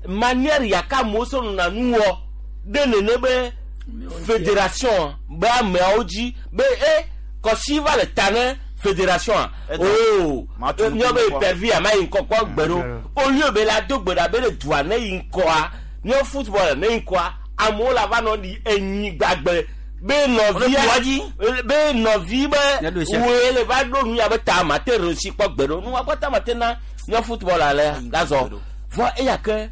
manière ya ke amewo sɔ nɔna nu wɔ ɖe nene be fédération be ameawo dzi be e kɔsi va le ta ne fédération a oo Matu míɔ be ŋkɔ. pervi ama yi ŋkɔ kpɔ gbe ɖo au lieu be la do gbe ɖa be le dua ne yi ŋkɔa míɔ football ne yi ŋkɔa amewo la va nɔ ɖi enyi gbagbe be nɔvia be nɔvi be Míaɖo esia. woe le va ɖo nu ya be ta ma te réussi kpɔ gbe ɖo nu wa kpɔ ta ma te na míɔ football ale la zɔ vɔ eya ke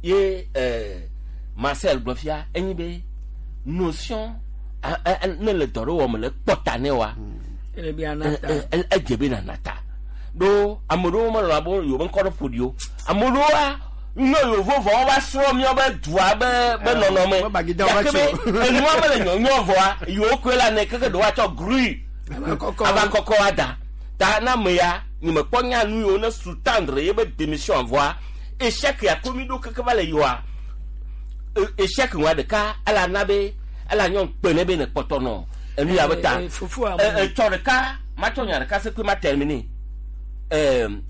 ye Marcel gblɔ fia enyi be notion ne le dɔ ɖe wɔm le kpɔ ta ne wa ele bi anata edze be nana ta ɖo ame ɖewo melɔna be yewo be ŋkɔ ɖe ƒo ɖi o ame ɖewoa nyɔ yevo vɔ wo va srɔ̃ míawo be dua be be nɔnɔme wo bagida wo va gake be tso. enua mele nyɔnyɔ vɔa yewo koe la ne keke ɖewo atsɔ grui ava kɔkɔ ada ta na ame ya nye mekpɔ nya nu yiwo ne sous-tendre ye be démission vɔa échec ya ko mi ɖo keke va le yiwa échec wa ɖeka ela na be ela nyɔ kpe ne be ne kpɔtɔ nɔ enu ya be ta Eh, eh, fufu amu. Tsɔ ɖeka matsɔ nya ɖeka se koe ma terminer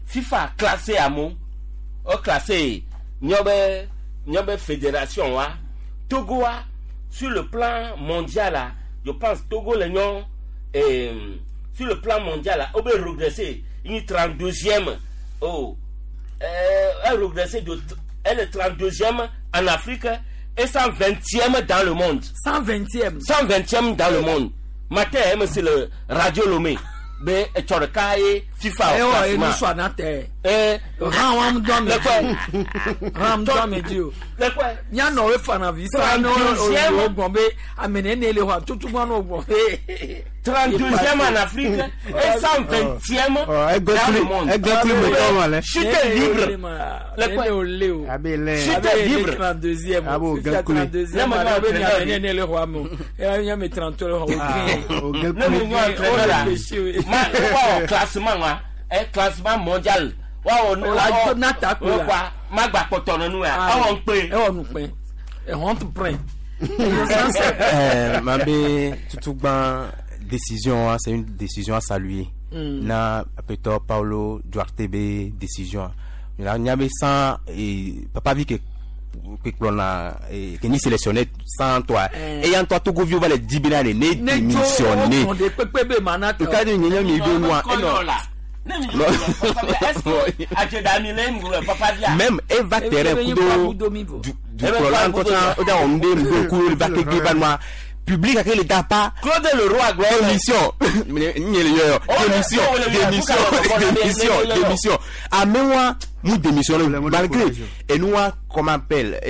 FIFA classé amewo wo classé míawo be fédération wa Togo wa sur le plan mondial la je pense Togo le nyɔ sur le plan mondial la wo be régressé une 32e oh elle régressé de elle est 32e en Afrique et 120e dans le monde. 120e. 120e dans le monde. Matin, c'est le Radio Lomé. Be etsɔ ɖeka ye FIFA ewɔ classement. enu sɔ anatɛ. Eh, han wa mu dɔn mi Le kɔe. han mu dɔn mi di o. Le kɔe. Mianɔ wo fana vi sa ne 32e. o gbɔn be ame nene le xɔ tutu gbɔn n'o gbɔn be. 32e en Afrique et 120e dans le monde. Chute libre. Le Le o le o. Chute libre. 32e. Abo, Fifa Gakule. 32e. Ne me Ale be entraîneur ame nene le xɔ ame o. Eya nye 33 le xɔ o. Ne me nyɔ entraîneur la, ma wa wɔ classement wa, classement mondial. Wa wɔ O la jo nata ko la. wa ma gba kpɔtɔ nenu ya. Awɔ ŋkpe. Ewɔ nukpɛ. Ehɔn tu prɛn. Mabé Tutugban, décision, hein, c'est une décision à saluer. Na Peter Paulo Duarte be décision. Là, il y avait sans et papa vu que que l'on a et que ni sélectionné sans toi. Et en toi Togo vieux va les 10 000 les Ne tso démissionner. o kɔn de kpekpe be ma na Le cas de Nyanya mi do moi. Kɔnyɔ la. Ne mi gblɔ papa via, est-ce que adzedami le mi gblɔ papa via? Même eva terrain kudo dukplɔla ŋutɔ tsã wodza wɔ nu ɖe nu ɖo ku va keke va nua public gake le da pa. Claude Leroy gblɔ. Démission nye le yɔyɔ démission démission démission démission amewa mu démissionné malgré enua comment appelle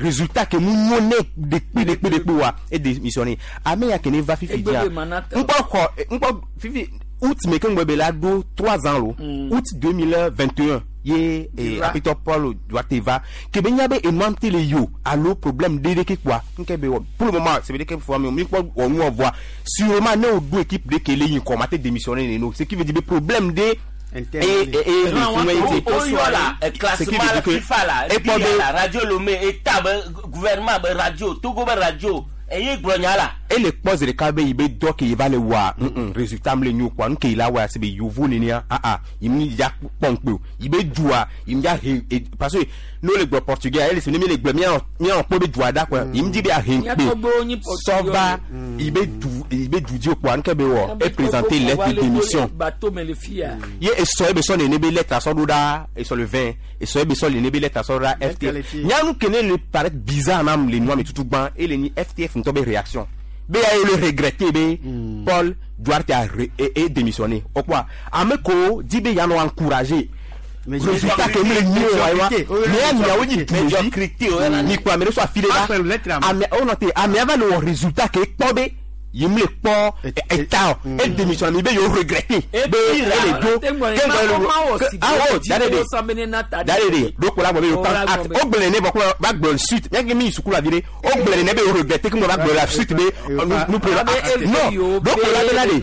résultat ke mu nyɔ ne dekpe dekpe dekpe wa e démissionné ame ya ke ne va fifi dia ŋkpɔ xɔ ŋkpɔ fifi août me ke ŋgbɔ be la ɖo 3 ans lo août 2021 ye apitɔ Paul Duarte va ke be nya be enua ŋuti le yi o alo problème ɖe ɖe ke kpoa nke be wɔ pour le moment c'est veut dire que fɔ mi mi kpɔ wɔ nu wɔ voa sûrement ne o do équipe ɖe ke le yi ŋkɔ ma te démissionner neno ce qui veut dire be problème ɖe et et le oyɔ la classement la FIFA la et la radio Lomé état be gouvernement be radio Togo be radio eye gblɔ nya la. Ele kpɔ zi ɖeka be yi be dɔ ke yi va le wɔa résultat mi le nyo kpoa nu ke yi la wɔa si be yovo nenea ah ah yi mi ya kpɔ ŋkpe o yi be dua yi mi ya he parce que n'o le gblɔ portugais ele si ne mi le gblɔ mianɔ mianɔ kpɔ be dua da kpoa yi mi di be ahe ŋkpe sɔva yi be du yi be du dzi o kpoa nu ke be wɔ e présenter lettre de démission ye esɔ ebe sɔ nene be lettre sɔ ɖo ɖa esɔ le 20 esɔ ebe sɔ nene be lettre sɔ ɖo ɖa FTF nyanu ke ne le paraître bizarre nam le nua me tutu gbã ele ni FTF ŋutɔ be réaction be ya ye le regretter be Paul Duarte a e démissionné o kpoa ame ko di be yanɔ encourager résultat ke mi le nyi o wa mais ya miawo nyi dumevi mi kplɔ ame ɖe so afi ɖe la ame o nɔ te amea va le wɔ résultat ke kpɔ be yi mi le kpɔ eta o e démissionné mi be yewo regretter be ele do ke ŋgɔ le awɔ da de da de do ko la gbɔ be yewo prendre acte o gblɔ ne vɔ ko va gblɔ suite miake mi yi suku la vi ɖe o gblɔ ne be yewo regretter ke ŋgɔ va gblɔ la suite be nous prenons acte non do ko la be la de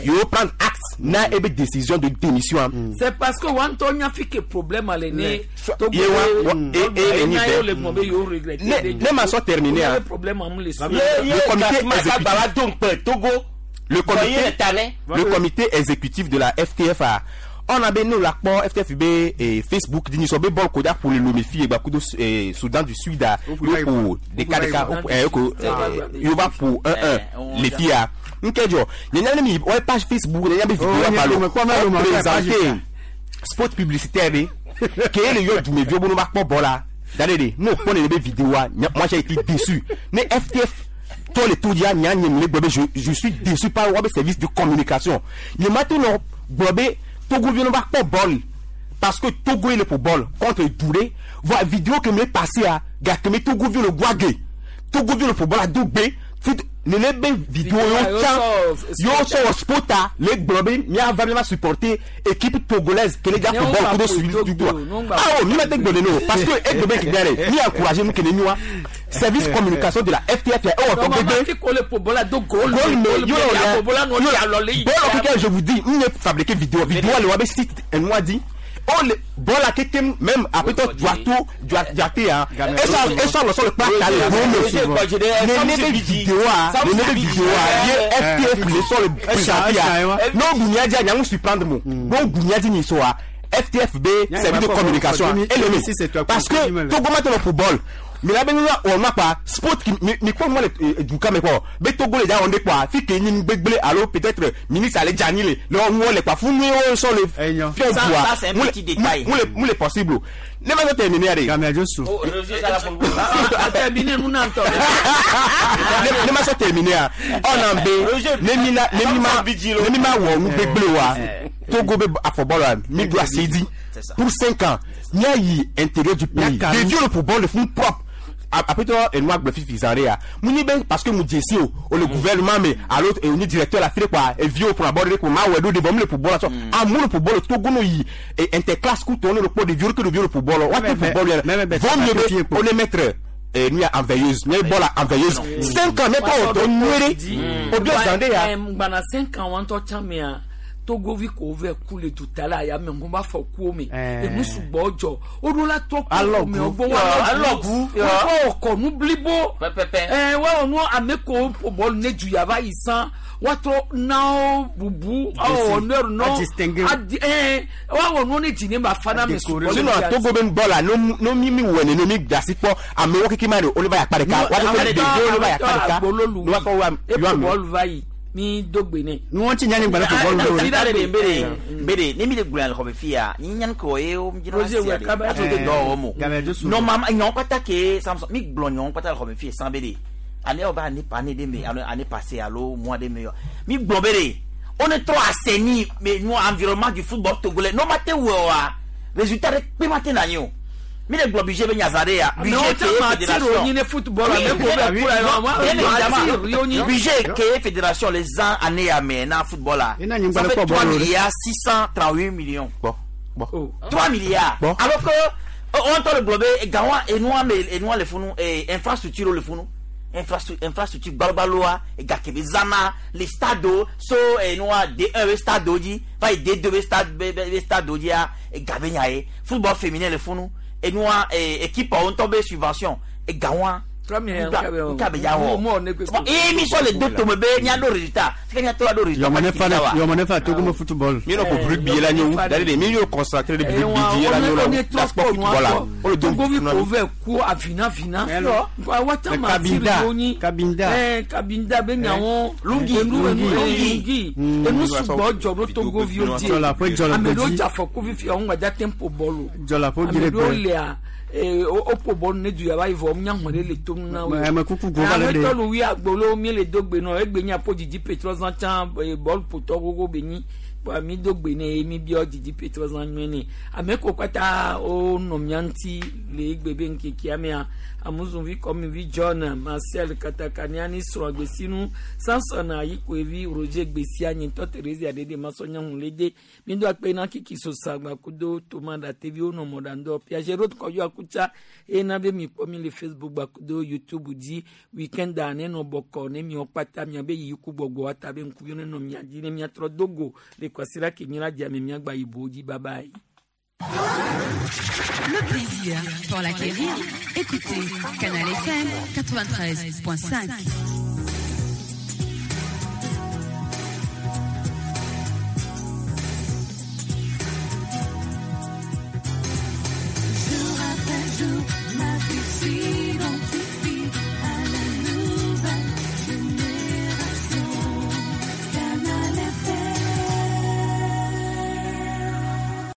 yewo prendre acte na ebe décision de démission. C'est parce que wọn tɔ nya fi ke problème ale ne. Ye wa e e ni bɛ ne ma sɔ terminer hein. Le comité exécutif le comité le comité exécutif de la FTF a on a ben nous la kpɔ FTF be Facebook di nisɔ be bɔl ko da ƒo le Lomé fi egba kudo Soudan du Sud a yo ƒo ɖeka ɖeka eko yo va ƒo 1-1 le fia nke dzɔ nyanya ne mi wɔ page Facebook nyanya be vidéo wa lo présenter spot publicitaire be ke le yɔ dumeviwo be no va kpɔ bɔl la da de de n'o kpɔ ne be vidéo wa moi j'ai été déçu ne FTF tɔ le to dia nya nye mi le gblɔ be je suis déçu par wa be service de communication nye ma to nɔ gblɔ be Togo vi no va kpɔ bɔl parce que Togo ye le ƒo bɔl contre du ɖe voa vidéo ke mi le passé a gake mi Togo vi le goage Togo vi le ƒo bɔl a do gbe nene be vidéo yo tsã yo sɔ wɔ spota le gblɔ be miava miava supporter équipe togolaise ke ne dza ƒo bɔl kudo suivi du goa awo mi ma te gblɔ nene o parce que egbe be kegbe ɖe mi encourager nu ke ne nyoa service communication de la FTF ya ewɔ tɔ gbegbe goal me yo bɔlɔ keke je vous dis n ye fabriquer vidéo vidéo le wa be site enua di o le bɔla keke même apetɔ Duato Duarte hein esɔ lɔsɔ le kpa ta le bon me nene be vidéo a nene be vidéo a ye FTF le sɔ le présenter a n'o gunya di a ɲaŋu surprendre mo n'o gunya di nin so a FTF be service de communication ele parce que Togo ma tɛ lɔ football mi la be nu wɔ ma kpa sport ki mi mi kpɔ nua le duka me kpɔ be Togo le dza wɔn de kpɔa fi ke nyi gbegble alo peut-être ministre ale dza anyi le le nuwo le kpa fún nuwo sɔ le fiɛ dua mu le mu le possible o ne ma sɔ terminer de. Ne ma sɔ terminer a ɔna be ne mi la ne mi ma ne mi ma wɔ nu gbegble wa Togo be afɔbɔlɔ mi do asi di pour 5 ans mia yi intérieur du pays dévier le football le fún propre apetɔ enua gblɔ fifi zã ɖe ya mu nyi be parce que mu dze si o o le gouvernement me alo o ni directeur la fi ɖe kpoa eviwo ƒona bɔ ɖe ko ma wɔe ɖo ɖe vɔ mu le ƒo bɔl la sɔ amewo le ƒo bɔl Togo no yi interclasse kutɔ ne le kpɔ ɖeviwo ke ɖeviwo le ƒo bɔl wa te ƒo bɔl yɛrɛ vɔ mieux be o ne mettre nu ya en veilleuse mi bɔl la en veilleuse 5 ans ne tɔ o dɔ nyuie ɖe o bi zã ɖe ya. Gbana 5 ans wɔntɔ tsã mea Togovi ko vɛ ku le duta la ya me ŋgo ba fɔ kuwo me enu sugbɔ dzɔ woɖo la trɔ ku me gbɔ wa alɔgu wokɔ kɔ nu blibo ɛɛ wa nu ame ko ƒo bɔlu ne du yava yi san woatrɔ nawo bubu awɔ nu nɔ adi ɛɛ wa wɔ nu ne dzi ne ma fa na me sugbɔ. Sinon Togo be bɔl la no mi mi wɔ nene mi dasi kpɔ amewo keke ma de o le va yi akpa ɖeka wa fɔ ɖeviwo le va yi akpa ɖeka ne wa fɔ wa yɔ ame. Bɔlu va yi. Mi do gbe nɛ. Nu wɔn ti nya ni gbalẽ football do. Fi da de mbere mbere ne mi le gblɔ le xɔme fia ni nyan ko ye o mi dzina Roger sia wɛ de kaba aso te dɔ wɔm o. Gabriel Dossou. Normalement nyɔnu kpata ke Samson mi gblɔ nyɔnu kpata le xɔme fia san be de année o ba année année de me alo année passée alo mois de me yɔ mi gblɔ be de on est trop assaini mais nous environnement du football togolais no ma te wɔ wa résultat de kpe ma te na nyi o mi le gblɔ budget be nyaza de ya Mais on t'a menti, on y est football, Oui, mais qu'on va oui, pour la- non, moi, bien menti, évidemment. on y- Budget que fédération les ans année à mais na football là. Et na nyimba Ça le fait quoi, 3 bolo, milliards 638 millions. Bon, bon. Oh. 3 milliards. Bon. Alors que on entend le globé et gawa et nous mais et nous les funu et infrastructure le funu. Infrastructure infrastructure balbaloa et gakebe zana les stades so et nous D1 stade di va D2 stade B B stade di et gabe nyae football féminin le funu et nous équipe on tombe subvention et gawa 3 milliards, nkabe ya wɔ Mo- mo ne kpe- Bon, émission le deux tome be nya do résultat c'est que nya to do résultat Yɔmɔ ne fa yɔmɔ ne fa Togo me football. Mi nɔ ko rugby la nyo dale de mi yo consacré le rugby la nyo la la sport football la o le don Togovi ko vɛ ku avina vina. Nka wata Mais ma Kabinda, tiri wonyi. Kabinda. Kabinda be nyawo. Lungi, Enu enu Lungi. lungi. Enu sugbɔ dzɔ ɖo Togovi wo die. Jɔla ƒe jɔla Ame ɖewo gbedzi. dze afɔku fifi ɔŋu gba dza tempo bɔlu. Jɔla ƒe Ame dzre ɖewo gbe. lea o ƒo bɔlu ne du yaba yi vɔ nya hɔn ɖe le tom na wo. Ame kuku go va le Ame ɖe. tɔ lu wi agbolo mi le do gbe nɔ egbe nya ƒo dzidzi petrɔ zã tsã bɔlu ƒotɔ gogo be nyi. Kpoa mi do gbe ne mi biɔ dzidzi petrɔ zã nyuie ne. Ame ko kpata wo nɔ mia ŋuti le egbe be ŋkekea mea amuzuvi kɔmivi John Marcel Katakaniani srɔ̃ gbesinu Samson Ayikoevi Roger Gbesia nyitɔ Theresia ɖeɖe masɔnyahun le de mi do akpe na Kiki Sosa gbakudo Toma Datevi wo nɔ mɔɖaŋdɔ Piaget Road Kɔdu Akutsa eye na be mi kpɔ mi le Facebook gbakudo YouTube dzi weekend a ne nɔ bɔkɔ ne miɔ kpata miabe yiyi ku gbɔgbɔ ata be ŋkuviwo ne nɔ mia dzi ne miatrɔ do go le kwasiɖa ke mi la dze ame miagba yibo dzi bye bye. Le plaisir pour l'acquérir, écoutez Canal FM 93.5.